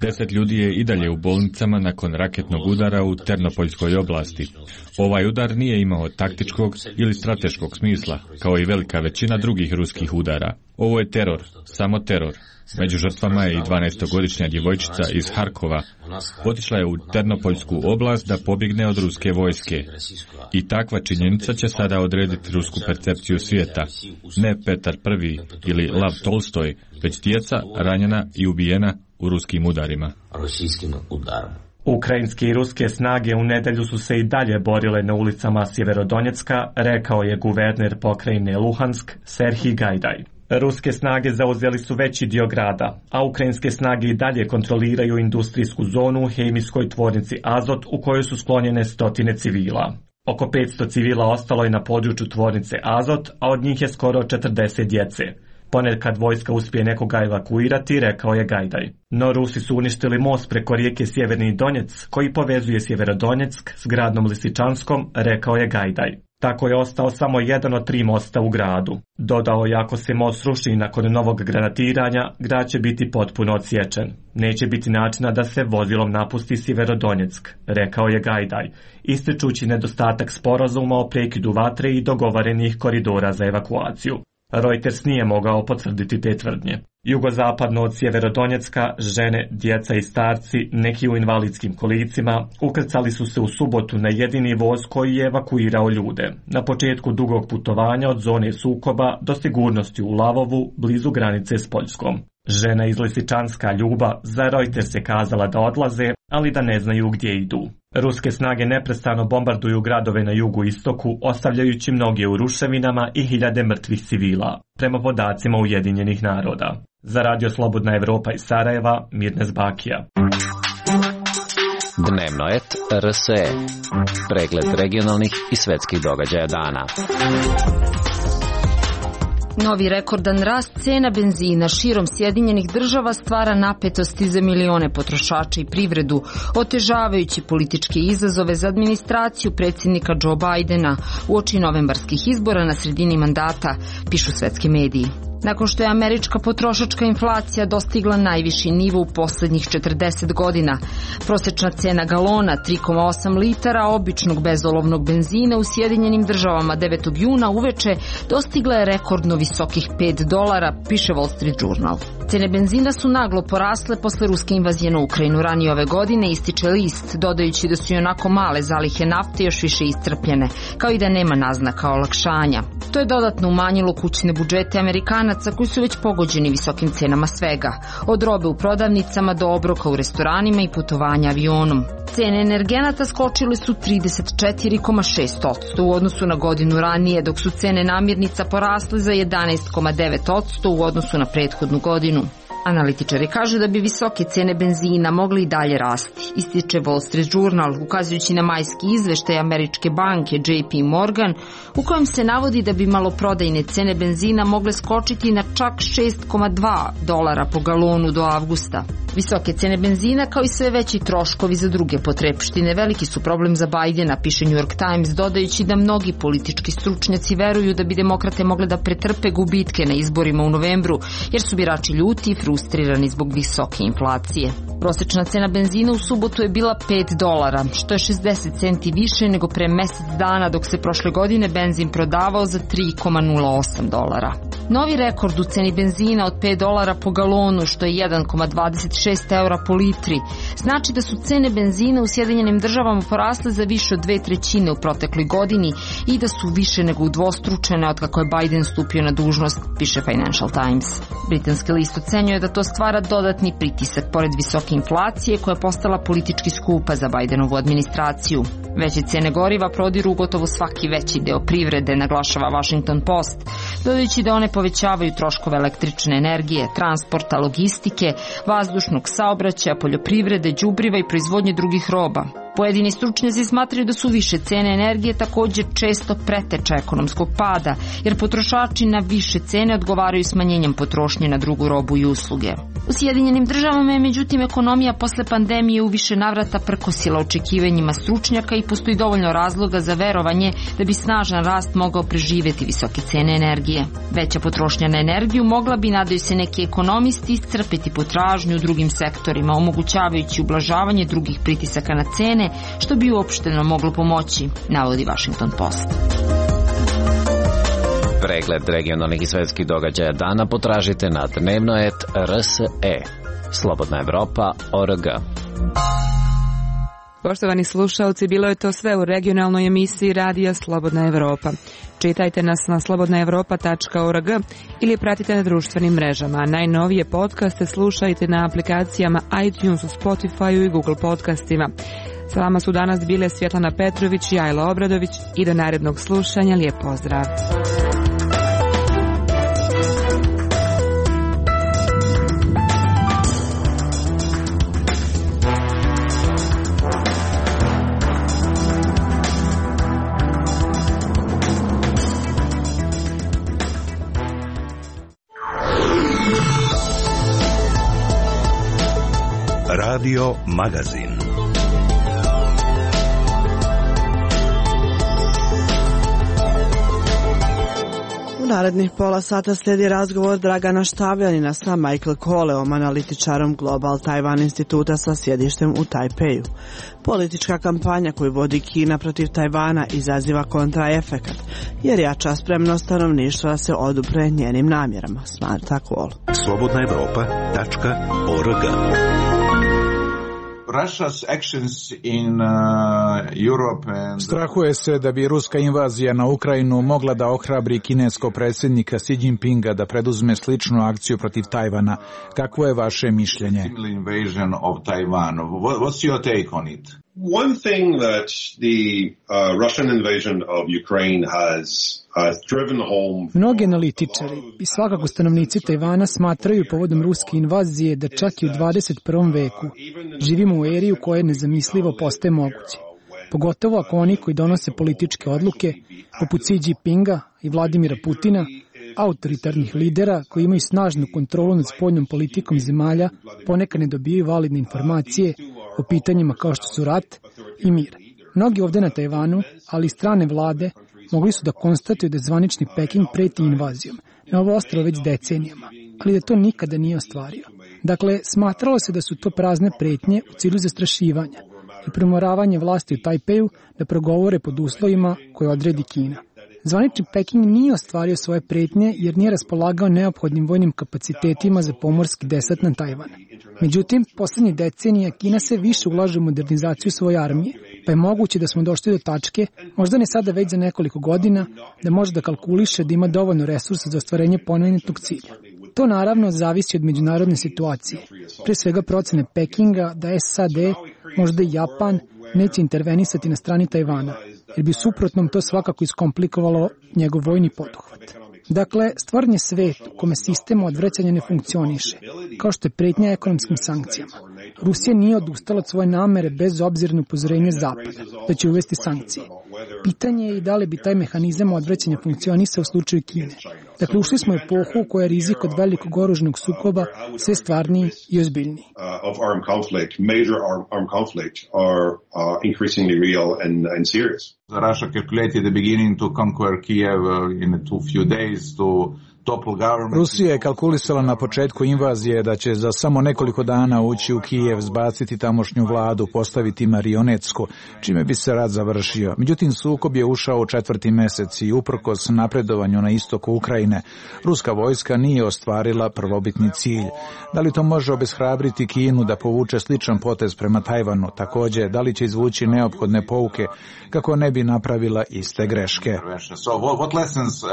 Deset ljudi je i dalje u bolnicama nakon raketnog udara u Ternopoljskoj oblasti. Ovaj udar nije imao taktičkog ili strateškog smisla, kao i velika većina drugih ruskih udara. Ovo je teror, samo teror. Među žrtvama je i dvanaestogodišnja djevojčica iz Harkova. Otišla je u Ternopoljsku oblast da pobjegne od ruske vojske. I takva činjenica će sada odrediti rusku percepciju svijeta. Ne Petar Prvi ili Lav Tolstoj, već djeca ranjena i ubijena u ruskim udarima. Ukrajinske i ruske snage u nedjelju su se i dalje borile na ulicama Sjeverodonjecka, rekao je guverner pokrajine Luhansk Serhij Gajdaj. Ruske snage zauzeli su veći dio grada, a ukrajinske snage i dalje kontroliraju industrijsku zonu u hemijskoj tvornici Azot u kojoj su sklonjene stotine civila. Oko petsto civila ostalo je na području tvornice Azot, a od njih je skoro četrdeset djece. Ponekad vojska uspije nekoga evakuirati, rekao je Gajdaj. No Rusi su uništili most preko rijeke Sjeverni Donjec, koji povezuje Sjeverodonjeck s gradom Lisičanskom, rekao je Gajdaj. Tako je ostao samo jedan od tri mosta u gradu. Dodao je ako se most sruši nakon novog granatiranja, grad će biti potpuno odsječen. Neće biti načina da se vozilom napusti Sjeverodonjeck, rekao je Gajdaj, ističući nedostatak sporazuma o prekidu vatre i dogovorenih koridora za evakuaciju. Reuters nije mogao potvrditi te tvrdnje. Jugozapadno od Sjeverodonjecka, žene, djeca i starci, neki u invalidskim kolicima, ukrcali su se u subotu na jedini voz koji je evakuirao ljude, na početku dugog putovanja od zone sukoba do sigurnosti u Lavovu, blizu granice s Poljskom. Žena iz Lisičanska Ljuba za Reuters je kazala da odlaze, ali da ne znaju gdje idu. Ruske snage neprestano bombarduju gradove na jugu istoku, ostavljajući mnoge u ruševinama i hiljade mrtvih civila, prema podacima Ujedinjenih naroda. Za Radio Slobodna Evropa iz Sarajeva, Mirnes Bakija. Dnevnoet R S E. Pregled regionalnih i svetskih događaja dana. Novi rekordan rast cena benzina širom Sjedinjenih država stvara napetosti za milione potrošača i privredu, otežavajući političke izazove za administraciju predsjednika Joe Bidena uoči novembarskih izbora na sredini mandata, pišu svetski mediji. Nakon što je američka potrošačka inflacija dostigla najviši nivo u posljednjih četrdeset godina, prosječna cena galona tri zarez osam litara običnog bezolovnog benzina u Sjedinjenim državama devetog juna uveče dostigla je rekordno visokih pet dolara, piše Wall Street Journal. Cene benzina su naglo porasle posle ruske invazije na Ukrajinu ranije ove godine, ističe list, dodajući da su i onako male zalihe nafte još više iscrpljene, kao i da nema naznaka olakšanja. To je dodatno umanjilo kućne budžete Amerikanaca koji su već pogođeni visokim cenama svega, od robe u prodavnicama do obroka u restoranima i putovanja avionom. Cene energenata skočile su trideset četiri zarez šest posto u odnosu na godinu ranije, dok su cene namirnica porasle za jedanaest zarez devet posto u odnosu na prethodnu godinu. Analitičari kažu da bi visoke cene benzina mogli i dalje rasti, ističe Wall Street Journal, ukazujući na majski izveštaj američke banke J P Morgan, u kojem se navodi da bi maloprodajne cene benzina mogle skočiti na čak šest zarez dva dolara po galonu do avgusta. Visoke cene benzina, kao i sve veći troškovi za druge potrepštine, veliki su problem za Bidena, piše New York Times, dodajući da mnogi politički stručnjaci veruju da bi demokrate mogle da pretrpe gubitke na izborima u novembru, jer su birači ljuti i frustrirani zbog visoke inflacije. Prosječna cena benzina u subotu je bila pet dolara, što je šezdeset centi više nego pre mjesec dana, dok se prošle godine benzin prodavao za tri zarez nula osam dolara. Novi rekord u ceni benzina od pet dolara po galonu, što je jedan zarez dvadeset šest eura po litri, znači da su cene benzina u Sjedinjenim državama porasle za više od dve trećine u protekloj godini i da su više nego udvostručene od kako je Biden stupio na dužnost, piše Financial Times. Britanski list ocenjuje da to stvara dodatni pritisak pored visoke inflacije koja je postala politički skupa za Bidenovu administraciju. Veće cene goriva prodiru gotovo svaki veći deo privrede, naglašava Washington Post, dodajući da one povećavaju troškove električne energije, transporta, logistike, vazdušnog saobraćaja, poljoprivrede, đubriva i proizvodnje drugih roba. Pojedini stručnjaci smatraju da su više cene energije također često preteča ekonomskog pada, jer potrošači na više cene odgovaraju smanjenjem potrošnje na drugu robu i usluge. U Sjedinjenim državama je međutim ekonomija posle pandemije u više navrata prkosila očekivanjima stručnjaka i postoji dovoljno razloga za verovanje da bi snažan rast mogao preživjeti visoke cene energije. Veća potrošnja na energiju mogla bi, nadaju se neki ekonomisti, iscrpiti potražnju u drugim sektorima, omogućavajući ublažavanje drugih pritisaka na cene, što bi uopšteno moglo pomoći, navodi Washington Post. Pregled regionalnih i svetskih događaja dana potražite na dnevnoet tačka r s e. Slobodna Evropa tačka org. Poštovani slušalci, bilo je to sve u regionalnoj emisiji Radija Slobodna Evropa. Čitajte nas na slobodna evropa tačka org ili pratite na društvenim mrežama. Najnovije podcaste slušajte na aplikacijama iTunes, u Spotify i Google podcastima. Sa vama su danas bile Svjetlana Petrović i Ajla Obradović i do narednog slušanja lijep pozdrav. Radio Magazin. U narednih pola sata slijedi razgovor Dragana Štavljanina sa Michael Koleom, analitičarom Global Taiwan instituta sa sjedištem u Tajpeju. Politička kampanja koju vodi Kina protiv Tajvana izaziva kontraefekat, jer jača spremnost stanovništva da se odupre njenim namjerama, smatra Kol. slobodna evropa tačka org. Strahuje se da bi ruska invazija na Ukrajinu mogla da ohrabri kineskog predsjednika Xi Jinpinga da preduzme sličnu akciju protiv Tajvana. Kakvo je vaše mišljenje? One thing that the uh, Russian invasion of Ukraine has uh, driven home. Mnogi analitičari i svakako stanovnici Tajvana smatraju povodom ruske invazije da čak i u dvadeset prvom veku živimo u eri u kojoj nezamislivo postaje moguće. Pogotovo ako oni koji donose političke odluke, poput Xi Jinpinga i Vladimira Putina, autoritarnih lidera koji imaju snažnu kontrolu nad spoljnom politikom zemalja, ponekad ne dobijaju validne informacije o pitanjima kao što su rat i mir. Mnogi ovdje na Tajvanu, ali i strane vlade, mogli su da konstatuju da zvanični Peking preti invazijom na ovo ostrvo već decenijama, ali da to nikada nije ostvario. Dakle, smatralo se da su to prazne pretnje u cilju zastrašivanja i primoravanje vlasti u Tajpeju da progovore pod uslovima koje odredi Kina. Zvanični Peking nije ostvario svoje pretnje jer nije raspolagao neophodnim vojnim kapacitetima za pomorski desant na Tajvan. Međutim, posljednje decenije Kina se više ulaže u modernizaciju svoje armije, pa je moguće da smo došli do tačke, možda ne sada već za nekoliko godina, da može da kalkuliše da ima dovoljno resursa za ostvarenje pomenutog cilja. To naravno zavisi od međunarodne situacije, pre svega procene Pekinga da S A D, možda i Japan, neće intervenisati na strani Tajvana, jer bi suprotnom to svakako iskomplikovalo njegov vojni poduhvat. Dakle, stvoren je svet u kome sistem odvraćanja ne funkcioniše, kao što je pretnja ekonomskim sankcijama. Rusija nije odustala od svoje namere bez obzira na upozorenje Zapada da će uvesti sankcije. Pitanje je i da li bi taj mehanizam odvraćanja funkcionisao u slučaju Kine. Dakle, ušli smo u epohu u kojoj je rizik od velikog oružnog sukoba sve stvarniji i ozbiljniji. Russia calculated the beginning to conquer Kiev in a few days to Rusija je kalkulisala na početku invazije da će za samo nekoliko dana ući u Kijev, zbaciti tamošnju vladu, postaviti marionetsku, čime bi se rat završio. Međutim, sukob je ušao u četvrti mesec i uprkos napredovanju na istoku Ukrajine, ruska vojska nije ostvarila prvobitni cilj. Da li to može obeshrabriti Kinu da povuče sličan potez prema Tajvanu? Također, da li će izvući neophodne pouke kako ne bi napravila iste greške? So what lessons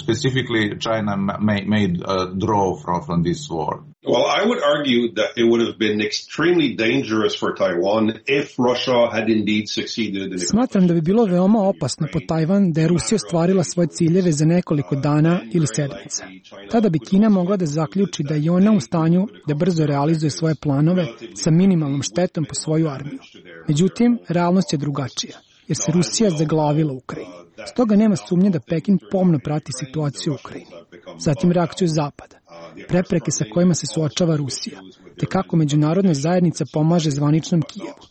specifically China made, made uh, draw from, from this war? Well, I would argue that it would have been extremely dangerous for Taiwan if Russia had indeed succeeded in... Smatram da bi bilo veoma opasno po Tajvan da je Rusija ostvarila svoje ciljeve za nekoliko dana ili sedmica. Tada bi Kina mogla da zaključi da je ona u stanju da brzo realizuje svoje planove sa minimalnom štetom po svoju armiju. Međutim, realnost je drugačija, jer se Rusija zaglavila u Ukrajini. Stoga nema sumnje da Pekin pomno prati situaciju u Ukrajini. Zatim reakciju Zapada, prepreke sa kojima se suočava Rusija, te kako međunarodna zajednica pomaže zvaničnom Kijevu,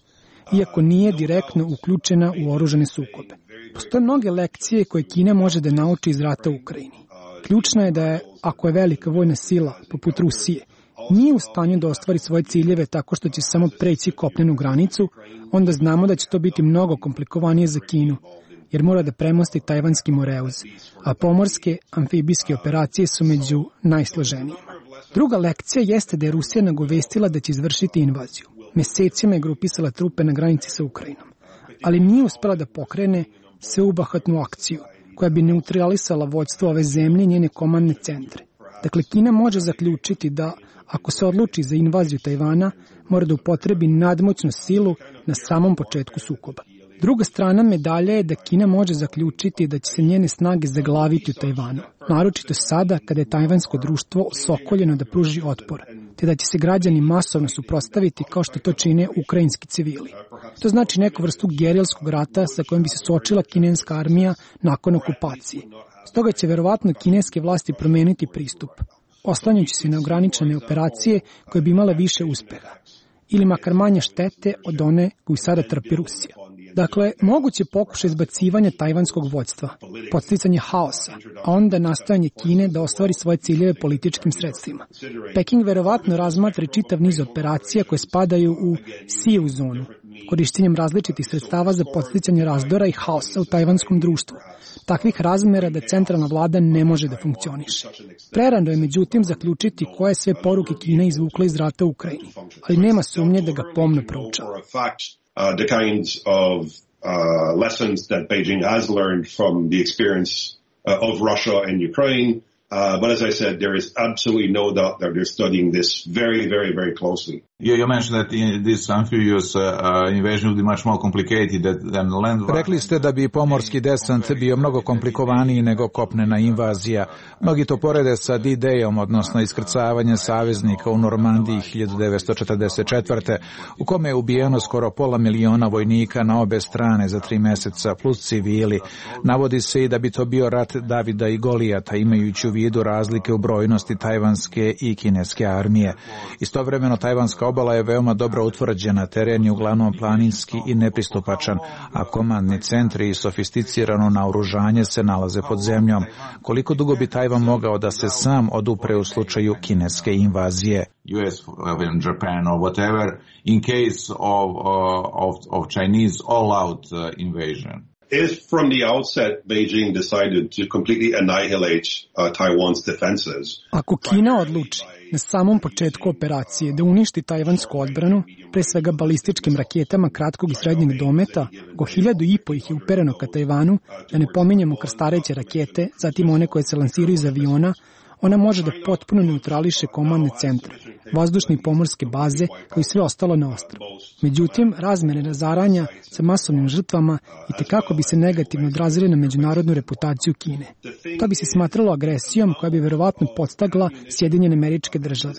iako nije direktno uključena u oružane sukobe. Postoje mnoge lekcije koje Kina može da nauči iz rata u Ukrajini. Ključno je da je, ako je velika vojna sila, poput Rusije, nije u stanju da ostvari svoje ciljeve tako što će samo preći kopnenu granicu, onda znamo da će to biti mnogo komplikovanije za Kinu, jer mora da premosti tajvanski moreuz, a pomorske amfibijske operacije su među najsloženijima. Druga lekcija jeste da je Rusija nagovestila da će izvršiti invaziju. Mesecima je grupisala trupe na granici sa Ukrajinom, ali nije uspela da pokrene sveobuhvatnu akciju koja bi neutralisala vođstvo ove zemlje i njene komandne centre. Dakle, Kina može zaključiti da, ako se odluči za invaziju Tajvana, mora da upotrebi nadmoćnu silu na samom početku sukoba. Druga strana medalja je da Kina može zaključiti da će se njene snage zaglaviti u Tajvanu, naročito sada kada je tajvansko društvo osokoljeno da pruži otpor, te da će se građani masovno suprotstaviti kao što to čine ukrajinski civili. To znači neku vrstu gerilskog rata sa kojim bi se suočila kineska armija nakon okupacije. Stoga će verovatno kineske vlasti promeniti pristup, oslanjajući se na ograničene operacije koje bi imale više uspeha, ili makar manje štete od one koju sada trpi Rusija. Dakle, moguće pokušaj izbacivanja tajvanskog vođstva, podsticanje haosa, a onda nastojanje Kine da ostvari svoje ciljeve političkim sredstvima. Peking verovatno razmatra čitav niz operacija koje spadaju u sivu zonu, korištenjem različitih sredstava za podsticanje razdora i haosa u tajvanskom društvu, takvih razmera da centralna vlada ne može da funkcioniše. Prerano je međutim zaključiti koje sve poruke Kina izvukla iz rata u Ukrajini, ali nema sumnje da ga pomno proučava. Uh, the kinds of uh, lessons that Beijing has learned from the experience uh, of Russia and Ukraine. Uh, but as I said, there is absolutely no doubt that they're studying this very, very, very closely. You, you mentioned that in this amphibious uh, uh, invasion would be much more complicated than land. Rekli ste da bi pomorski desant bio mnogo komplikovaniji nego kopnena invazija. Mnogi to porede sa D-Dayom, odnosno iskrcavanjem saveznika u Normandiji hiljadu devetsto četrdeset četvrte. u kome je ubijeno skoro pola miliona vojnika na obe strane za tri meseca plus civili. Navodi se i da bi to bio rat Davida i Golijata, imajući u vidu razlike u brojnosti tajvanske i kineske armije. Istovremeno tajvanska obala je veoma dobro utvrđena, teren je uglavnom planinski i nepristupačan, a komandni centri i sofisticirano naoružanje se nalaze pod zemljom. Koliko dugo bi Tajvan mogao da se sam odupre u slučaju kineske invazije? U S, Japan or whatever, in case of, uh, of, of Chinese all-out uh, invasion. If from the outset Beijing decided to completely annihilate uh, Taiwan's defenses. Ako Kina odluči na samom početku operacije da uništi tajvansku odbranu, pre svega balističkim raketama kratkog i srednjeg dometa, go hiljadu i po ih je upereno ka Tajvanu, da ne pominjemo krstareće rakete, zatim one koje se lansiraju iz aviona, ona može da potpuno neutrališe komandne centre, vazdušne i pomorske baze, kao i sve ostalo na ostrvu. Međutim, razmere razaranja sa masovnim žrtvama i tekako bi se negativno odrazile na međunarodnu reputaciju Kine. To bi se smatralo agresijom koja bi verovatno podstakla Sjedinjene Američke Države.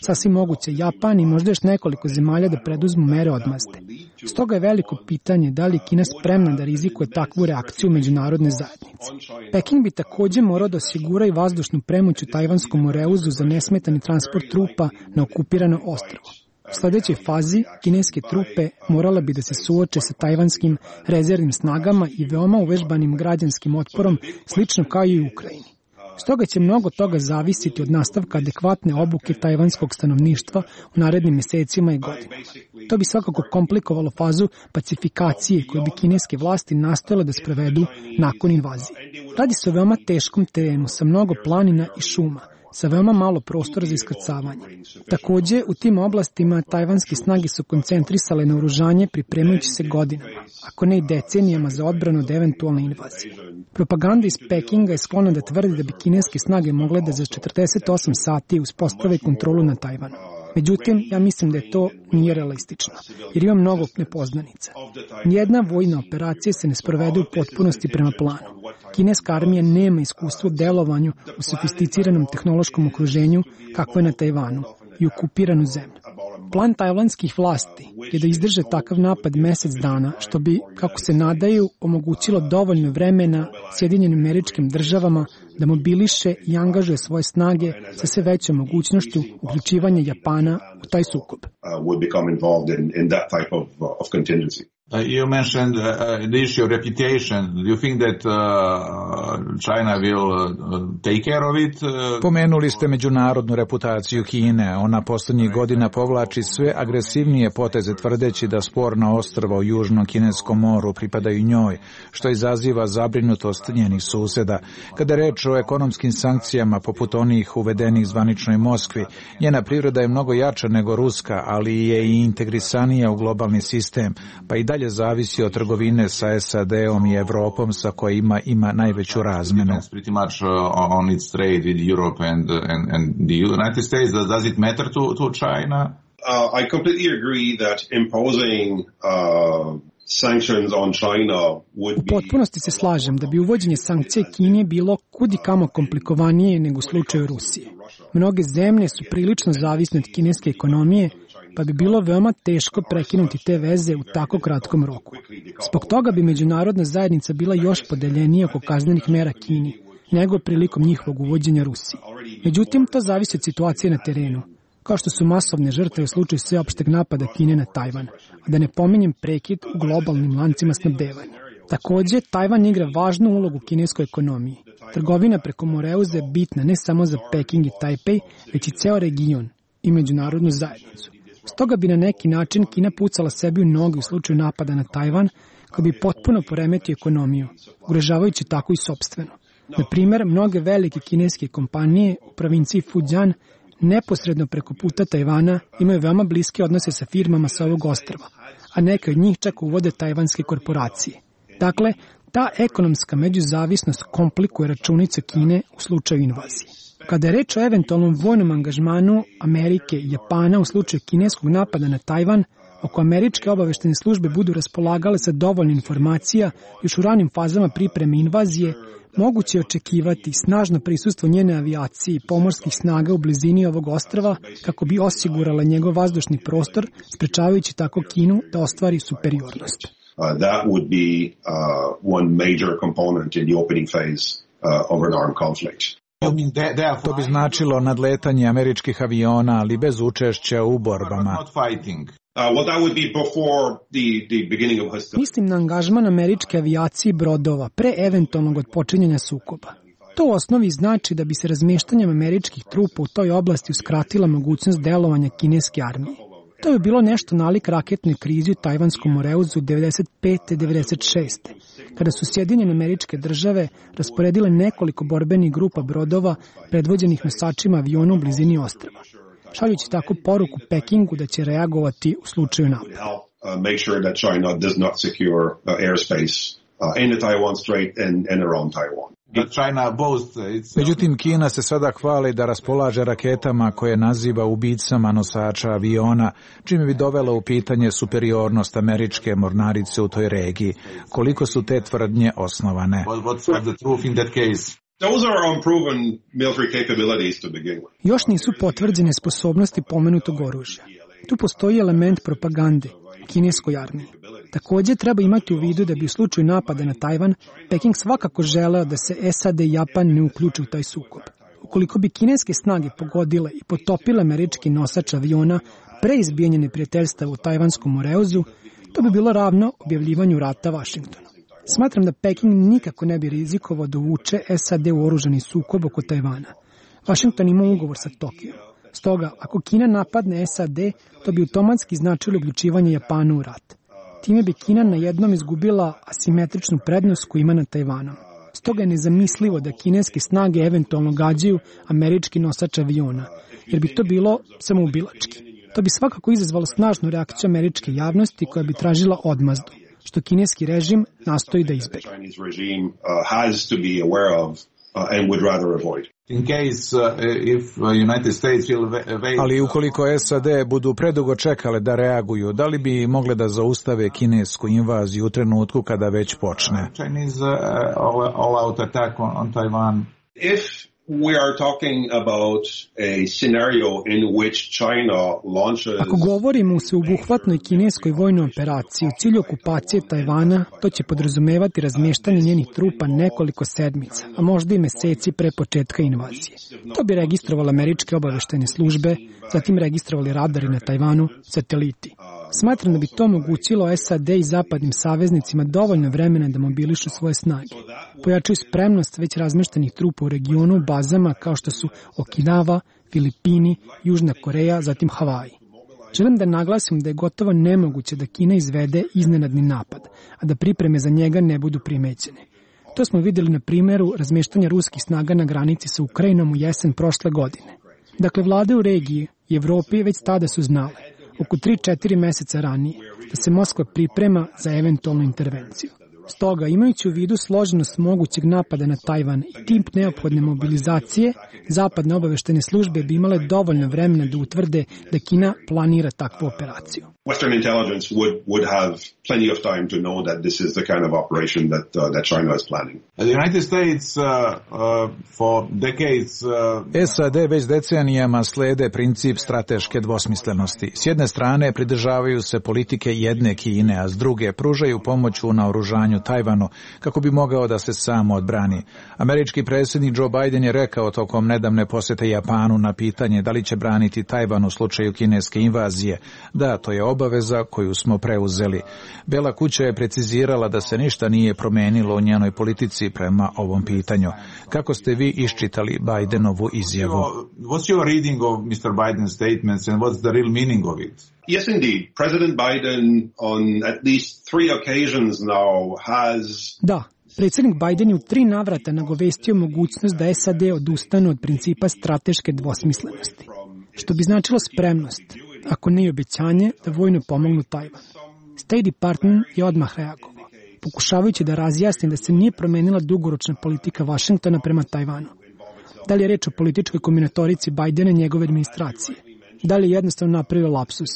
Sasvim moguće Japan i možda još nekoliko zemalja da preduzmu mere odmazde. Stoga je veliko pitanje da li je Kina spremna da rizikuje takvu reakciju međunarodne zajednice. Peking bi takođe morao da osigura i vazdušnu premoć u tajvanskom moreuzu za nesmetani transport trupa na okupirano ostrvo. U sledećoj fazi kineske trupe morala bi da se suoče sa tajvanskim rezervnim snagama i veoma uvežbanim građanskim otporom, slično kao i u Ukrajini. Stoga će mnogo toga zavisiti od nastavka adekvatne obuke tajvanskog stanovništva u narednim mesecima i godinama. To bi svakako komplikovalo fazu pacifikacije koju bi kineske vlasti nastojale da sprovedu nakon invazije. Radi se o veoma teškom terenu sa mnogo planina i šuma, sa veoma malo prostora za iskrcavanje. Takođe, u tim oblastima tajvanske snage su koncentrisale na oružanje pripremajući se godinama, ako ne i decenijama za odbranu od eventualne invazije. Propaganda iz Pekinga je sklona da tvrdi da bi kineske snage mogle da za četrdeset osam sati uspostave kontrolu na Tajvanu. Međutim, ja mislim da je to nije realistično, jer ima mnogo nepoznanica. Nijedna vojna operacija se ne sprovede u potpunosti prema planu. Kineska armija nema iskustva u delovanju u sofisticiranom tehnološkom okruženju kakvo je na Tajvanu i okupiranu zemlju. Plan tajvanskih vlasti je da izdrže takav napad mesec dana, što bi, kako se nadaju, omogućilo dovoljno vremena Sjedinjenim Američkim Državama da mobiliše i angažuje svoje snage sa sve većom mogućnošću uključivanja Japana u taj sukob. Uh, you mentioned uh, the issue of reputation. Do you think that uh, China will uh, take care of it? Uh, Pomenuli ste međunarodnu reputaciju Kine. Ona posljednjih godina povlači sve agresivnije poteze tvrdeći da sporna ostrva u Južnom Kineskom moru pripadaju njoj, što izaziva zabrinutost njenih suseda. Kada je reč o ekonomskim sankcijama poput onih uvedenih zvaničnoj Moskvi, njena priroda je mnogo jača nego ruska, ali je i integrisanija u globalni sistem, pa i dalje zavisi od trgovine sa S A D-om i Evropom sa kojima ima najveću razmenu. Pretty much uh, on its trade with Europe and and and the United States. Does it matter to to China? Uh, I completely agree that imposing uh, sanctions on China would be... U potpunosti se slažem da bi uvođenje sankcije Kini bilo kudi kamo komplikovanije nego u slučaju Rusije. Mnoge zemlje su prilično zavisne od kineske ekonomije, pa bi bilo veoma teško prekinuti te veze u tako kratkom roku. Zbog toga bi međunarodna zajednica bila još podeljenija oko kaznenih mera Kini, nego prilikom njihovog uvođenja Rusiji. Međutim, to zavisi od situacije na terenu, kao što su masovne žrtve u slučaju sveopšteg napada Kine na Tajvan, a da ne pominjem prekid u globalnim lancima snabdevanja. Takođe, Tajvan igra važnu ulogu u kineskoj ekonomiji. Trgovina preko Moreuza je bitna ne samo za Peking i Tajpej, već i ceo region i međunarodnu zajednicu. Stoga bi na neki način Kina pucala sebi u noge u slučaju napada na Tajvan, koji bi potpuno poremetio ekonomiju, ugrožavajući tako i sopstveno. Na primer, mnoge velike kineske kompanije u provinciji Fujian neposredno preko puta Tajvana imaju veoma bliske odnose sa firmama sa ovog ostrva, a neke od njih čak uvode tajvanske korporacije. Dakle, ta ekonomska međuzavisnost komplikuje računice Kine u slučaju invazije. Kada je reč o eventualnom vojnom angažmanu Amerike i Japana u slučaju kineskog napada na Tajvan, oko američke obaveštene službe budu raspolagale sa dovoljno informacija još u ranim fazama pripreme invazije, moguće je očekivati snažno prisustvo njene avijacije i pomorskih snaga u blizini ovog ostrva kako bi osigurala njegov vazdušni prostor, sprečavajući tako Kinu da ostvari superiornost. Uh, that would be uh, one major component in the opening phase uh, of an armed conflict. To bi značilo nadletanje američkih aviona, ali bez učešća u borbama. Mislim na angažman američke avijacije i brodova pre eventualnog odpočinjanja sukoba. To u osnovi znači da bi se razmještanjem američkih trupa u toj oblasti uskratila mogućnost delovanja kineske armije. To bi bilo nešto nalik raketnoj krizi u Tajvanskom Moreuzu devedeset pete i devedeset šeste kada su Sjedinjene Američke Države rasporedile nekoliko borbenih grupa brodova predvođenih nosačima aviona u blizini ostrva, šaljući tako poruku Pekingu da će reagovati u slučaju napada. Međutim, Kina se sada hvali da raspolaže raketama koje naziva ubicama nosača aviona, čime bi dovela u pitanje superiornost američke mornarice u toj regiji. Koliko su te tvrdnje osnovane? Još nisu potvrđene sposobnosti pomenutog oružja. Tu postoji element propagande u kineskoj armiji. Takođe, treba imati u vidu da bi u slučaju napada na Tajvan, Peking svakako želeo da se S A D i Japan ne uključe u taj sukob. Ukoliko bi kineske snage pogodile i potopile američki nosač aviona pre izbijanja neprijateljstava u Tajvanskom Moreuzu, to bi bilo ravno objavljivanju rata Vašingtonu. Smatram da Peking nikako ne bi rizikovao da uvuče S A D u oružani sukob oko Tajvana. Vašington ima ugovor sa Tokijom. Stoga, ako Kina napadne S A D, to bi automatski značilo uključivanje Japana u rat. Time bi Kina na jednom izgubila asimetričnu prednost koju ima na Tajvanu. Stoga je nezamislivo da kineske snage eventualno gađaju američki nosač aviona, jer bi to bilo samoubilački. To bi svakako izazvalo snažnu reakciju američke javnosti koja bi tražila odmazdu, što kineski režim nastoji da izbegne. In case, uh, if United States will evade... Ali ukoliko S A D budu predugo čekale da reaguju, da li bi mogle da zaustave kinesku invaziju u trenutku kada već počne? Chinese uh, all-out attack on, on Taiwan. If we are talking about a scenario in which China launches... Ako govorimo o sveobuhvatnoj kineskoj vojnoj operaciji u cilju okupacije Tajvana, to će podrazumevati razmještanje njenih trupa nekoliko sedmica, a možda i meseci pre početka invazije. To bi registrovali američke obaveštene službe, zatim registrovali radari na Tajvanu, sateliti. Smatram da bi to omogućilo S A D i zapadnim saveznicima dovoljno vremena da mobilišu svoje snage. Pojačaju spremnost već razmeštenih trupa u regionu u bazama kao što su Okinawa, Filipini, Južna Koreja, zatim Havaji. Želim da naglasim da je gotovo nemoguće da Kina izvede iznenadni napad, a da pripreme za njega ne budu primećene. To smo vidjeli na primjeru razmeštanja ruskih snaga na granici sa Ukrajinom u jesen prošle godine. Dakle, vlade u regiji i Evropi već tada su znale, oko tri do četiri meseca ranije, da se Moskva priprema za eventualnu intervenciju. Stoga, imajući u vidu složenost mogućeg napada na Tajvan i tip neophodne mobilizacije, zapadne obaveštene službe bi imale dovoljno vremena da utvrde da Kina planira takvu operaciju. Western intelligence would would have plenty of time to know that this is the kind of operation that uh, that China is planning. The United States uh, uh, for decades uh... S A D već decenijama slede princip strateške dvosmislenosti. S jedne strane pridržavaju se politike jedne Kine, a s druge pružaju pomoć u naoružanju Tajvanu kako bi mogao da se sam odbrani. Američki predsjednik Joe Biden je rekao tokom nedavne posete Japanu na pitanje da li će braniti Tajvan u slučaju kineske invazije. Da, to je obaveza koju smo preuzeli. Bela kuća je precizirala da se ništa nije promenilo u njenoj politici prema ovom pitanju. Kako ste vi iščitali Bidenovu izjavu? What's your reading of mister Biden's statements and what's the real meaning of it? Yes, indeed. President Biden on at least three occasions now has... Da, predsjednik Biden je u tri navrata nagovestio mogućnost da S A D odustanu od principa strateške dvosmislenosti, što bi značilo spremnost, ako ne i obećanje, da vojno pomognu Tajvan. State Department je odmah reagovao, pokušavajući da razjasni da se nije promenila dugoročna politika Vašingtona prema Tajvanu. Da li je reč o političkoj kombinatorici Bidena i njegove administracije? Da li je jednostavno napravio lapsus?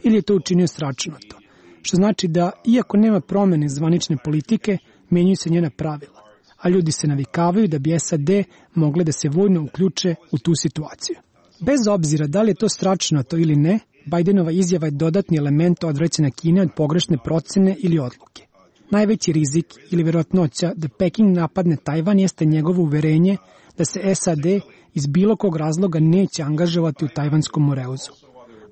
Ili je to učinio sračunato? Što znači da, iako nema promene zvanične politike, menjaju se njena pravila, a ljudi se navikavaju da bi S A D mogle da se vojno uključe u tu situaciju. Bez obzira da li je to sračunato ili ne, Bidenova izjava je dodatni element odvraćanja Kine od pogrešne procene ili odluke. Najveći rizik ili vjerojatnoća da Peking napadne Tajvan jeste njegovo uverenje da se S A D iz bilo kog razloga neće angažovati u tajvanskom moreuzu.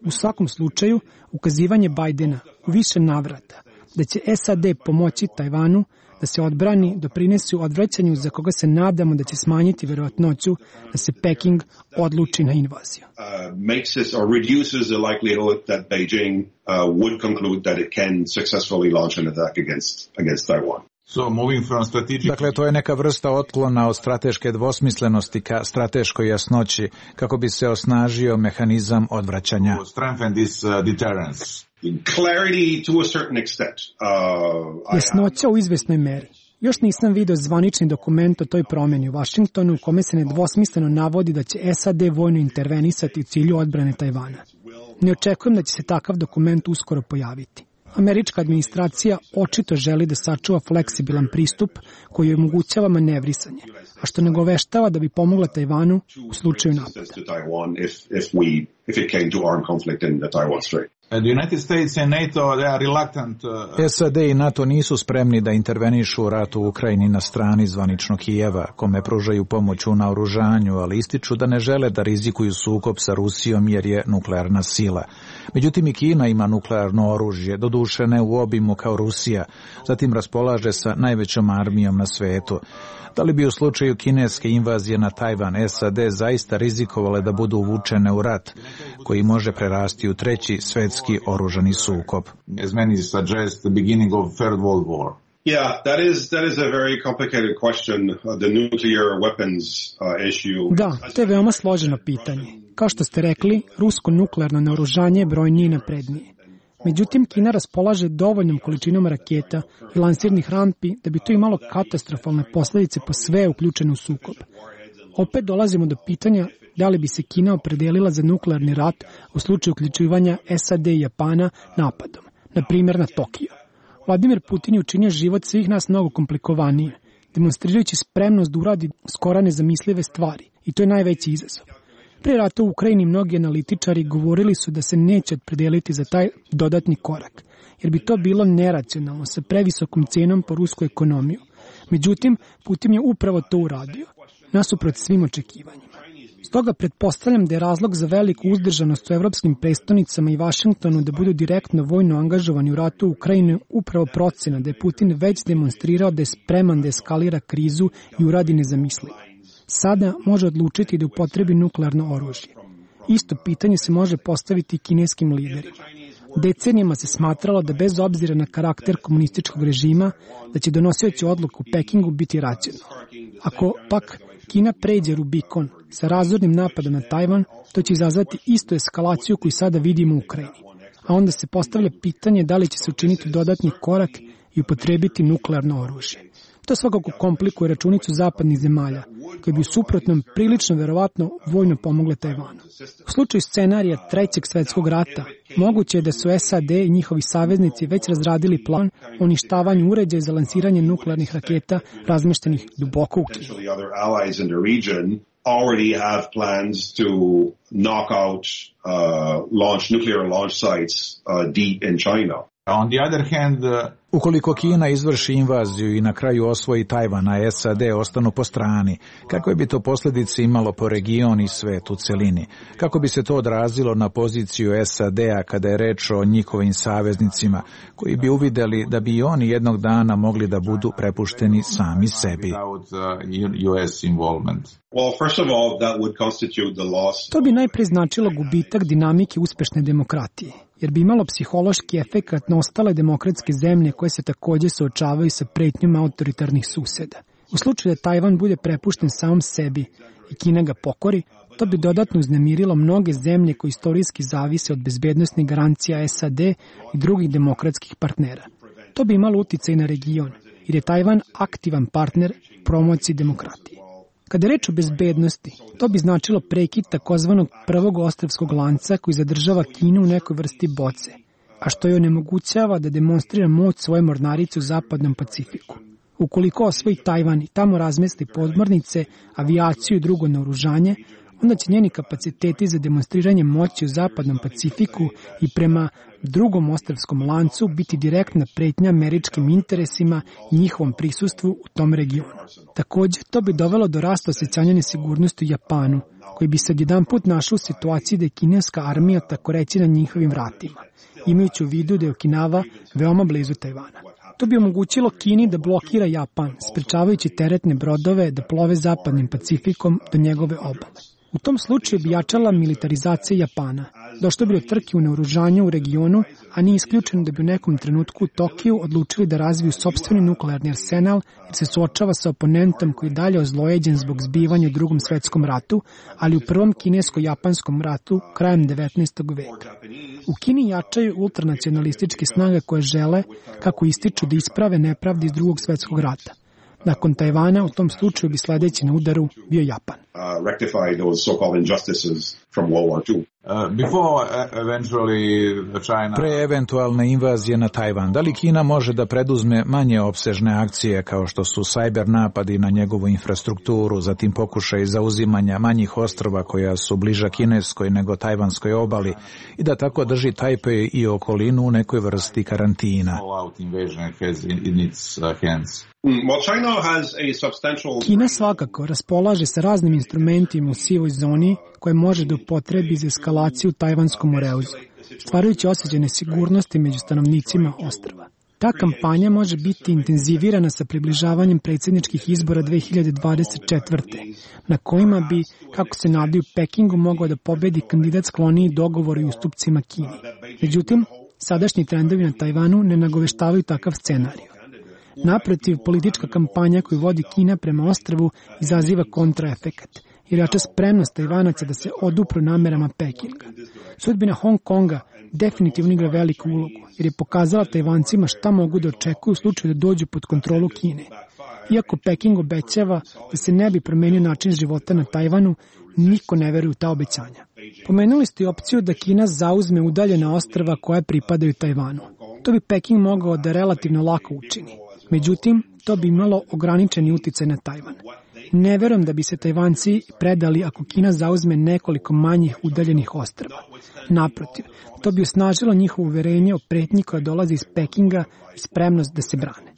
U svakom slučaju, ukazivanje Bidena u više navrata da će S A D pomoći Tajvanu da se odbrani doprinesu odvraćanju za koga se nadamo da će smanjiti vjerojatnoću da se Peking odluči na invaziju. Uh, makes it or reduces the likelihood that Beijing uh, would conclude that it can successfully launch an attack against against Taiwan. So moving from strategic... Dakle, to je neka vrsta otklona od strateške dvosmislenosti ka strateškoj jasnoći kako bi se osnažio mehanizam odvraćanja. Strengthen this uh, deterrence. Clarity to a certain extent. Uh, Jasnoća u izvesnoj meri. Još nisam vidio zvanični dokument o toj promjeni u Vašingtonu u kome se nedvosmisleno navodi da će S A D vojno intervenisati u cilju odbrane Tajvana. Ne očekujem da će se takav dokument uskoro pojaviti. Američka administracija očito želi da sačuva fleksibilan pristup koji omogućava manevrisanje, a što nagoveštava da bi pomogla Tajvanu u slučaju napada. The United States and NATO, they are reluctant. Uh... S A D i NATO nisu spremni da intervenišu u ratu u Ukrajini na strani zvaničnog Kijeva, kome pružaju pomoć u naoružanju, ali ističu da ne žele da rizikuju sukob sa Rusijom jer je nuklearna sila. Međutim, i Kina ima nuklearno oružje, doduše ne u obimu kao Rusija, zatim raspolaže sa najvećom armijom na svetu. Da li bi u slučaju kineske invazije na Tajvan S A D zaista rizikovale da budu uvučene u rat, koji može prerasti u treći svetski oružani sukob? As many suggest, the beginning of Third World War. Yeah, that is that is a very complicated question, uh, the nuclear weapons uh, issue. Da, to je veoma složeno pitanje. Kao što ste rekli, rusko nuklearno naoružanje je brojnije i naprednije. Međutim, Kina raspolaže dovoljnom količinom raketa i lansirnih rampi da bi to imalo katastrofalne posljedice po sve uključene u sukob. Opet dolazimo do pitanja da li bi se Kina opredelila za nuklearni rat u slučaju uključivanja S A D i Japana napadom, na primjer na Tokio. Vladimir Putin je učinio život svih nas mnogo komplikovanije, demonstrirajući spremnost da uradi skoro nezamislive stvari, i to je najveći izazov. Pre rata u Ukrajini mnogi analitičari govorili su da se neće opredeliti za taj dodatni korak, jer bi to bilo neracionalno sa previsokom cenom po rusku ekonomiju. Međutim, Putin je upravo to uradio, nasuprot svim očekivanjima. Stoga pretpostavljam da je razlog za veliku uzdržanost u evropskim prestonicama i Vašingtonu da budu direktno vojno angažovani u ratu u Ukrajini upravo procena da je Putin već demonstrirao da je spreman da eskalira krizu i uradi nezamislivo. Sada može odlučiti da upotrebi nuklearno oružje. Isto pitanje se može postaviti i kineskim liderima. Decenijama se smatralo da bez obzira na karakter komunističkog režima, da će donosioći odluku u Pekingu biti racionalno. Ako pak Kina pređe Rubikon sa razornim napadom na Tajvan, to će izazvati istu eskalaciju koju sada vidimo u Ukrajini. A onda se postavlja pitanje da li će se učiniti dodatni korak i upotrebiti nuklearno oružje. To svakako komplikuje računicu zapadnih zemalja, koje bi u suprotnom prilično verovatno vojno pomogle Tajvanu. U slučaju scenarija Trećeg svetskog rata, moguće je da su S A D i njihovi saveznici već razradili plan o uništavanju uređaja za lansiranje nuklearnih raketa razmeštenih duboko u Kini. Already have plans to knock out uh, launch nuclear launch sites uh, deep in China. On the other hand, uh... Ukoliko Kina izvrši invaziju i na kraju osvoji Tajvan, a S A D ostanu po strani, kakve bi to posljedice imalo po region i svet u celini? Kako bi se to odrazilo na poziciju S A D-a kada je reč o njihovim saveznicima, koji bi uvideli da bi i oni jednog dana mogli da budu prepušteni sami sebi? To bi najprije značilo gubitak dinamike uspešne demokratije, jer bi imalo psihološki efekat na ostale demokratske zemlje koje se također suočavaju sa pretnjom autoritarnih suseda. U slučaju da Tajvan bude prepušten samom sebi i Kina ga pokori, to bi dodatno uznemirilo mnoge zemlje koje istorijski zavise od bezbednosnih garancija S A D i drugih demokratskih partnera. To bi imalo uticaj na region, jer je Tajvan aktivan partner promociji demokratije. Kada je reč o bezbednosti, to bi značilo prekid takozvanog prvog ostrvskog lanca koji zadržava Kinu u nekoj vrsti boce, a što joj onemogućava da demonstrira moć svoje mornarice u zapadnom Pacifiku. Ukoliko osvoji Tajvan i tamo razmesti podmornice, avijaciju i drugo naoružanje, onda će njeni kapaciteti za demonstriranje moći u zapadnom Pacifiku i prema drugom ostrvskom lancu biti direktna pretnja američkim interesima i njihovom prisustvu u tom regionu. Također, to bi dovelo do rasta osjećanja nesigurnosti u Japanu, koji bi se odjedanput našao u situaciji da je kineska armija tako reći na njihovim vratima, imajući u vidu da je Okinawa veoma blizu Tajvana. To bi omogućilo Kini da blokira Japan, sprečavajući teretne brodove da plove zapadnim Pacifikom do njegove obale. U tom slučaju bi jačala militarizacija Japana. Došlo bi do trke u naoružanju u regionu, a nije isključeno da bi u nekom trenutku u Tokiju odlučili da razviju sopstveni nuklearni arsenal jer se suočava sa oponentom koji je dalje ozlojeđen zbog zbivanja u drugom svetskom ratu, ali u prvom kinesko-japanskom ratu krajem devetnaestog veka. U Kini jačaju ultranacionalističke snage koje žele, kako ističu, da isprave nepravde iz drugog svetskog rata. Nakon Tajvana, u tom slučaju bi sledeći na udaru bio Japan. Uh, rectify those so-called injustices from World War Two. Uh, before uh, eventually China... Pre eventualne invazije na Tajvan, da li Kina može da preduzme manje opsežne akcije kao što su sajber napadi na njegovu infrastrukturu, zatim pokušaj zauzimanja manjih ostrva koja su bliža kineskoj nego tajvanskoj obali i da tako drži Tajpej i okolinu u nekoj vrsti karantina? Kina svakako raspolaže sa raznim instrumentima u sivoj zoni koje može da upotrebi za eskalaciju u tajvanskom moreuzu, stvarajući osjećaj nesigurnosti među stanovnicima ostrva. Ta kampanja može biti intenzivirana sa približavanjem predsjedničkih izbora dve hiljade dvadeset četvrte. na kojima bi, kako se nadaju, Pekingu mogao da pobedi kandidat skloniji dogovoru i ustupcima Kini. Međutim, sadašnji trendovi na Tajvanu ne nagoveštavaju takav scenarij. Naprotiv, politička kampanja koju vodi Kina prema ostrvu izaziva kontraefekat, jer jača spremnost Tajvanaca da se odupru namerama Pekinga. Sudbina Hong Konga definitivno igra veliku ulogu, jer je pokazala Tajvancima šta mogu da očekuju u slučaju da dođu pod kontrolu Kine. Iako Peking obećava da se ne bi promenio način života na Tajvanu, niko ne veruje u ta obećanja. Pomenuli ste i opciju da Kina zauzme udaljena ostrva koja pripadaju Tajvanu. To bi Peking mogao da relativno lako učini. Međutim, to bi imalo ograničeni uticaj na Tajvan. Ne verujem da bi se Tajvanci predali ako Kina zauzme nekoliko manjih udaljenih ostrva. Naprotiv, to bi osnažilo njihovo uverenje o pretnji koja dolazi iz Pekinga i spremnost da se brane.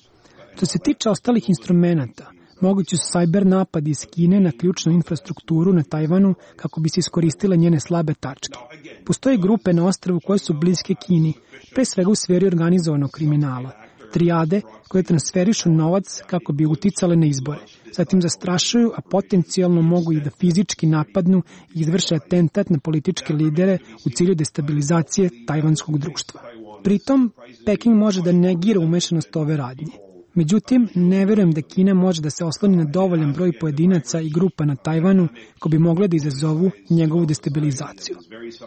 Što se tiče ostalih instrumenata, Mogući su sajber napadi iz Kine na ključnu infrastrukturu na Tajvanu kako bi se iskoristile njene slabe tačke. Postoje grupe na ostrvu koje su bliske Kini, pre svega u sferi organizovanog kriminala. Trijade koje transferišu novac kako bi uticale na izbore. Zatim zastrašuju, a potencijalno mogu i da fizički napadnu i izvrše atentat na političke lidere u cilju destabilizacije tajvanskog društva. Pritom, Peking može da negira umešanost ove radnje. Međutim, ne verujem da Kina može da se osloni na dovoljan broj pojedinaca i grupa na Tajvanu ko bi mogle da izazovu njegovu destabilizaciju.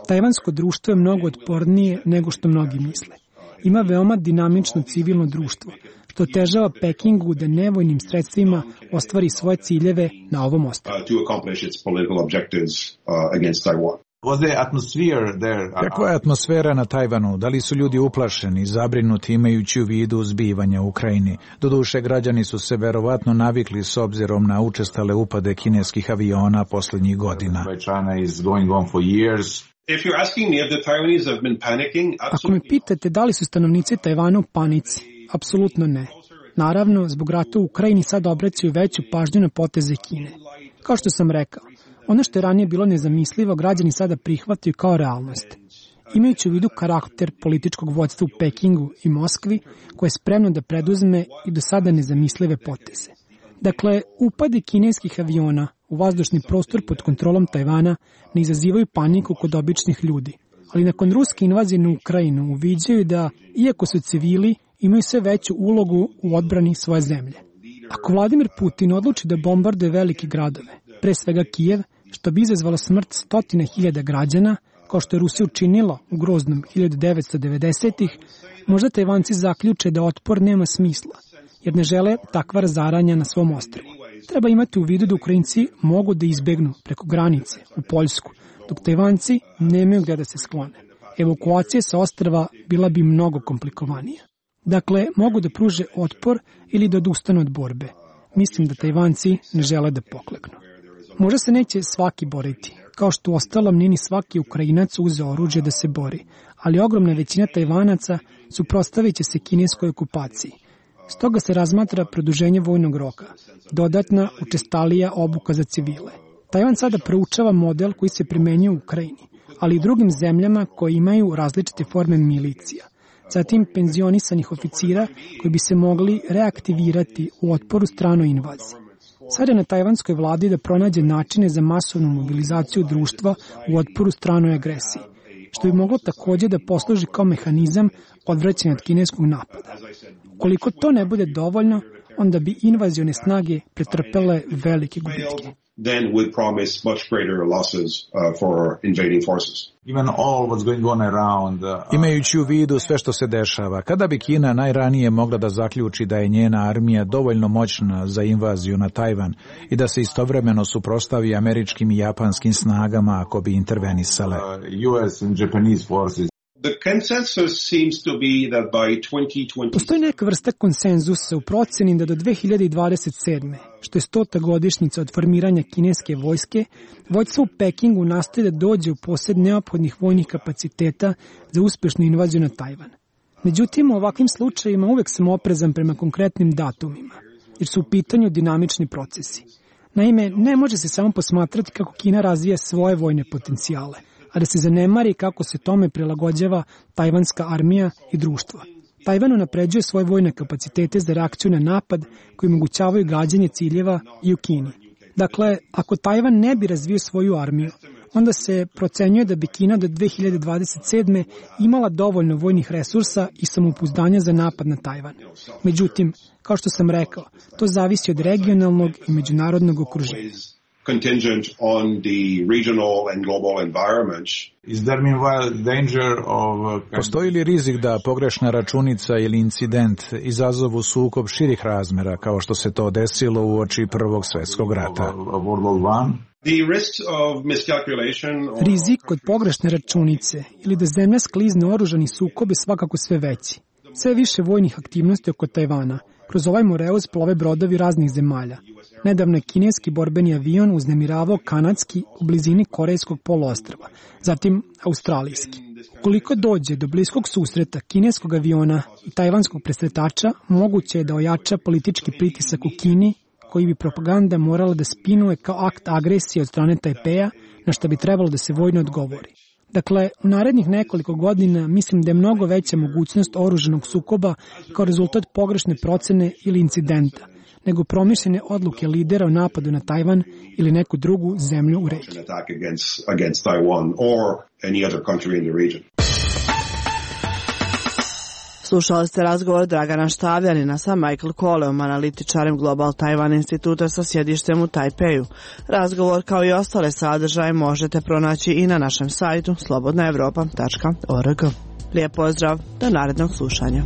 Tajvansko društvo je mnogo otpornije nego što mnogi misle. Ima veoma dinamično civilno društvo, što otežava Pekingu da nevojnim sredstvima ostvari svoje ciljeve na ovom ostrvu. Kakva je atmosfera na Tajvanu? Da li su ljudi uplašeni, zabrinuti imajući u vidu zbivanja u Ukrajini? Doduše, građani su se verovatno navikli s obzirom na učestale upade kineskih aviona poslednjih godina. Ako me pitate da li su stanovnici Tajvana u panici, apsolutno ne. Naravno, zbog rata u Ukrajini sad obraćaju veću pažnju na poteze Kine. Kao što sam rekao, ono što je ranije bilo nezamislivo, građani sada prihvataju kao realnost. Imajući u vidu karakter političkog vođstva u Pekingu i Moskvi, koje je spremno da preduzme i do sada nezamislive poteze. Dakle, upadi kineskih aviona u vazdušni prostor pod kontrolom Tajvana ne izazivaju paniku kod običnih ljudi, ali nakon ruske invazije na Ukrajinu uviđaju da, iako su civili, imaju sve veću ulogu u odbrani svoje zemlje. Ako Vladimir Putin odluči da bombarduje velike gradove, pre svega Kijev, što bi izazvalo smrt stotine hiljada građana, kao što je Rusija učinila u groznom hiljadu devetsto devedesetih, možda Tajvanci zaključe da otpor nema smisla, jer ne žele takva razaranja na svom ostrvu. Treba imati u vidu da Ukrajinci mogu da izbegnu preko granice u Poljsku, dok Tajvanci nemaju gde da se sklone. Evakuacija sa ostrva bila bi mnogo komplikovanija. Dakle, mogu da pruže otpor ili da odustanu od borbe. Mislim da Tajvanci ne žele da pokleknu. Možda se neće svaki boriti, kao što ostalom nije ni svaki Ukrajinac uzeo oružje da se bori, ali ogromna većina Tajvanaca suprotstavit će se kineskoj okupaciji. Stoga se razmatra produženje vojnog roka, dodatna učestalija obuka za civile. Tajvan sada proučava model koji se primenjuje u Ukrajini, ali i drugim zemljama koje imaju različite forme milicija. Zatim penzionisanih oficira koji bi se mogli reaktivirati u otporu stranoj invaziji. Sada je na tajvanskoj vladi da pronađe načine za masovnu mobilizaciju društva u otporu stranoj agresiji, što bi moglo takođe da posluži kao mehanizam odvraćanja od kineskog napada. Ukoliko to ne bude dovoljno, onda bi invazione snage pretrpele velike gubitke. Then would promise much greater losses uh, for invading forces. Even all what's going on around. Uh, Imajući u vidu sve što se dešava, kada bi Kina najranije mogla da zaključi da je njena armija dovoljno moćna za invaziju na Tajvan i da se istovremeno suprotstavi američkim i japanskim snagama ako bi intervenisale? Uh, U S and Japanese forces. The consensus seems to be that by twenty twenty Postoji neka vrsta konsenzusa u proceni da do dve hiljade dvadeset sedme, što je stota godišnjica od formiranja kineske vojske, vođstvo u Pekingu nastoji da dođe u posed neophodnih vojnih kapaciteta za uspešnu invaziju na Tajvan. Međutim, u ovakvim slučajima uvek sam oprezan prema konkretnim datumima, jer su u pitanju dinamični procesi. Naime, ne može se samo posmatrati kako Kina razvija svoje vojne potencijale, a da se zanemari kako se tome prilagođava tajvanska armija i društvo. Tajvan unapređuje svoje vojne kapacitete za reakciju na napad koji omogućavaju gađanje ciljeva i u Kini. Dakle, ako Tajvan ne bi razvio svoju armiju, onda se procenjuje da bi Kina do dve hiljade dvadeset sedme imala dovoljno vojnih resursa i samopouzdanja za napad na Tajvan. Međutim, kao što sam rekao, to zavisi od regionalnog i međunarodnog okruženja. Contingent on the regional and global environments. Is there meanwhile danger of... Postoji li rizik da pogrešna računica ili incident izazovu sukob širih razmera kao što se to desilo u oči Prvog svjetskog rata? The risks of miscalculation or... Rizik od pogrešne računice ili da zemlja sklizne oružani sukob je svakako sve veći. Sve više vojnih aktivnosti oko Tajvana. Kroz ovaj moreuz plove brodovi raznih zemalja. Nedavno je kineski borbeni avion uznemiravao kanadski u blizini korejskog poluostrva, zatim australijski. Ukoliko dođe do bliskog susreta kineskog aviona i tajvanskog presretača, moguće je da ojača politički pritisak u Kini koji bi propaganda morala da spinuje kao akt agresije od strane Tajpeja, na što bi trebalo da se vojno odgovori. Dakle, u narednih nekoliko godina mislim da je mnogo veća mogućnost oružanog sukoba kao rezultat pogrešne procene ili incidenta, nego promišljene odluke lidera o napadu na Tajvan ili neku drugu zemlju u regiji. Slušali ste razgovor Dragana Štavljanina sa Michael Koleom, analitičarem Global Taiwan instituta sa sjedištem u Tajpeju. Razgovor kao i ostale sadržaje možete pronaći i na našem sajtu slobodna evropa tačka org. Lijep pozdrav, do narednog slušanja.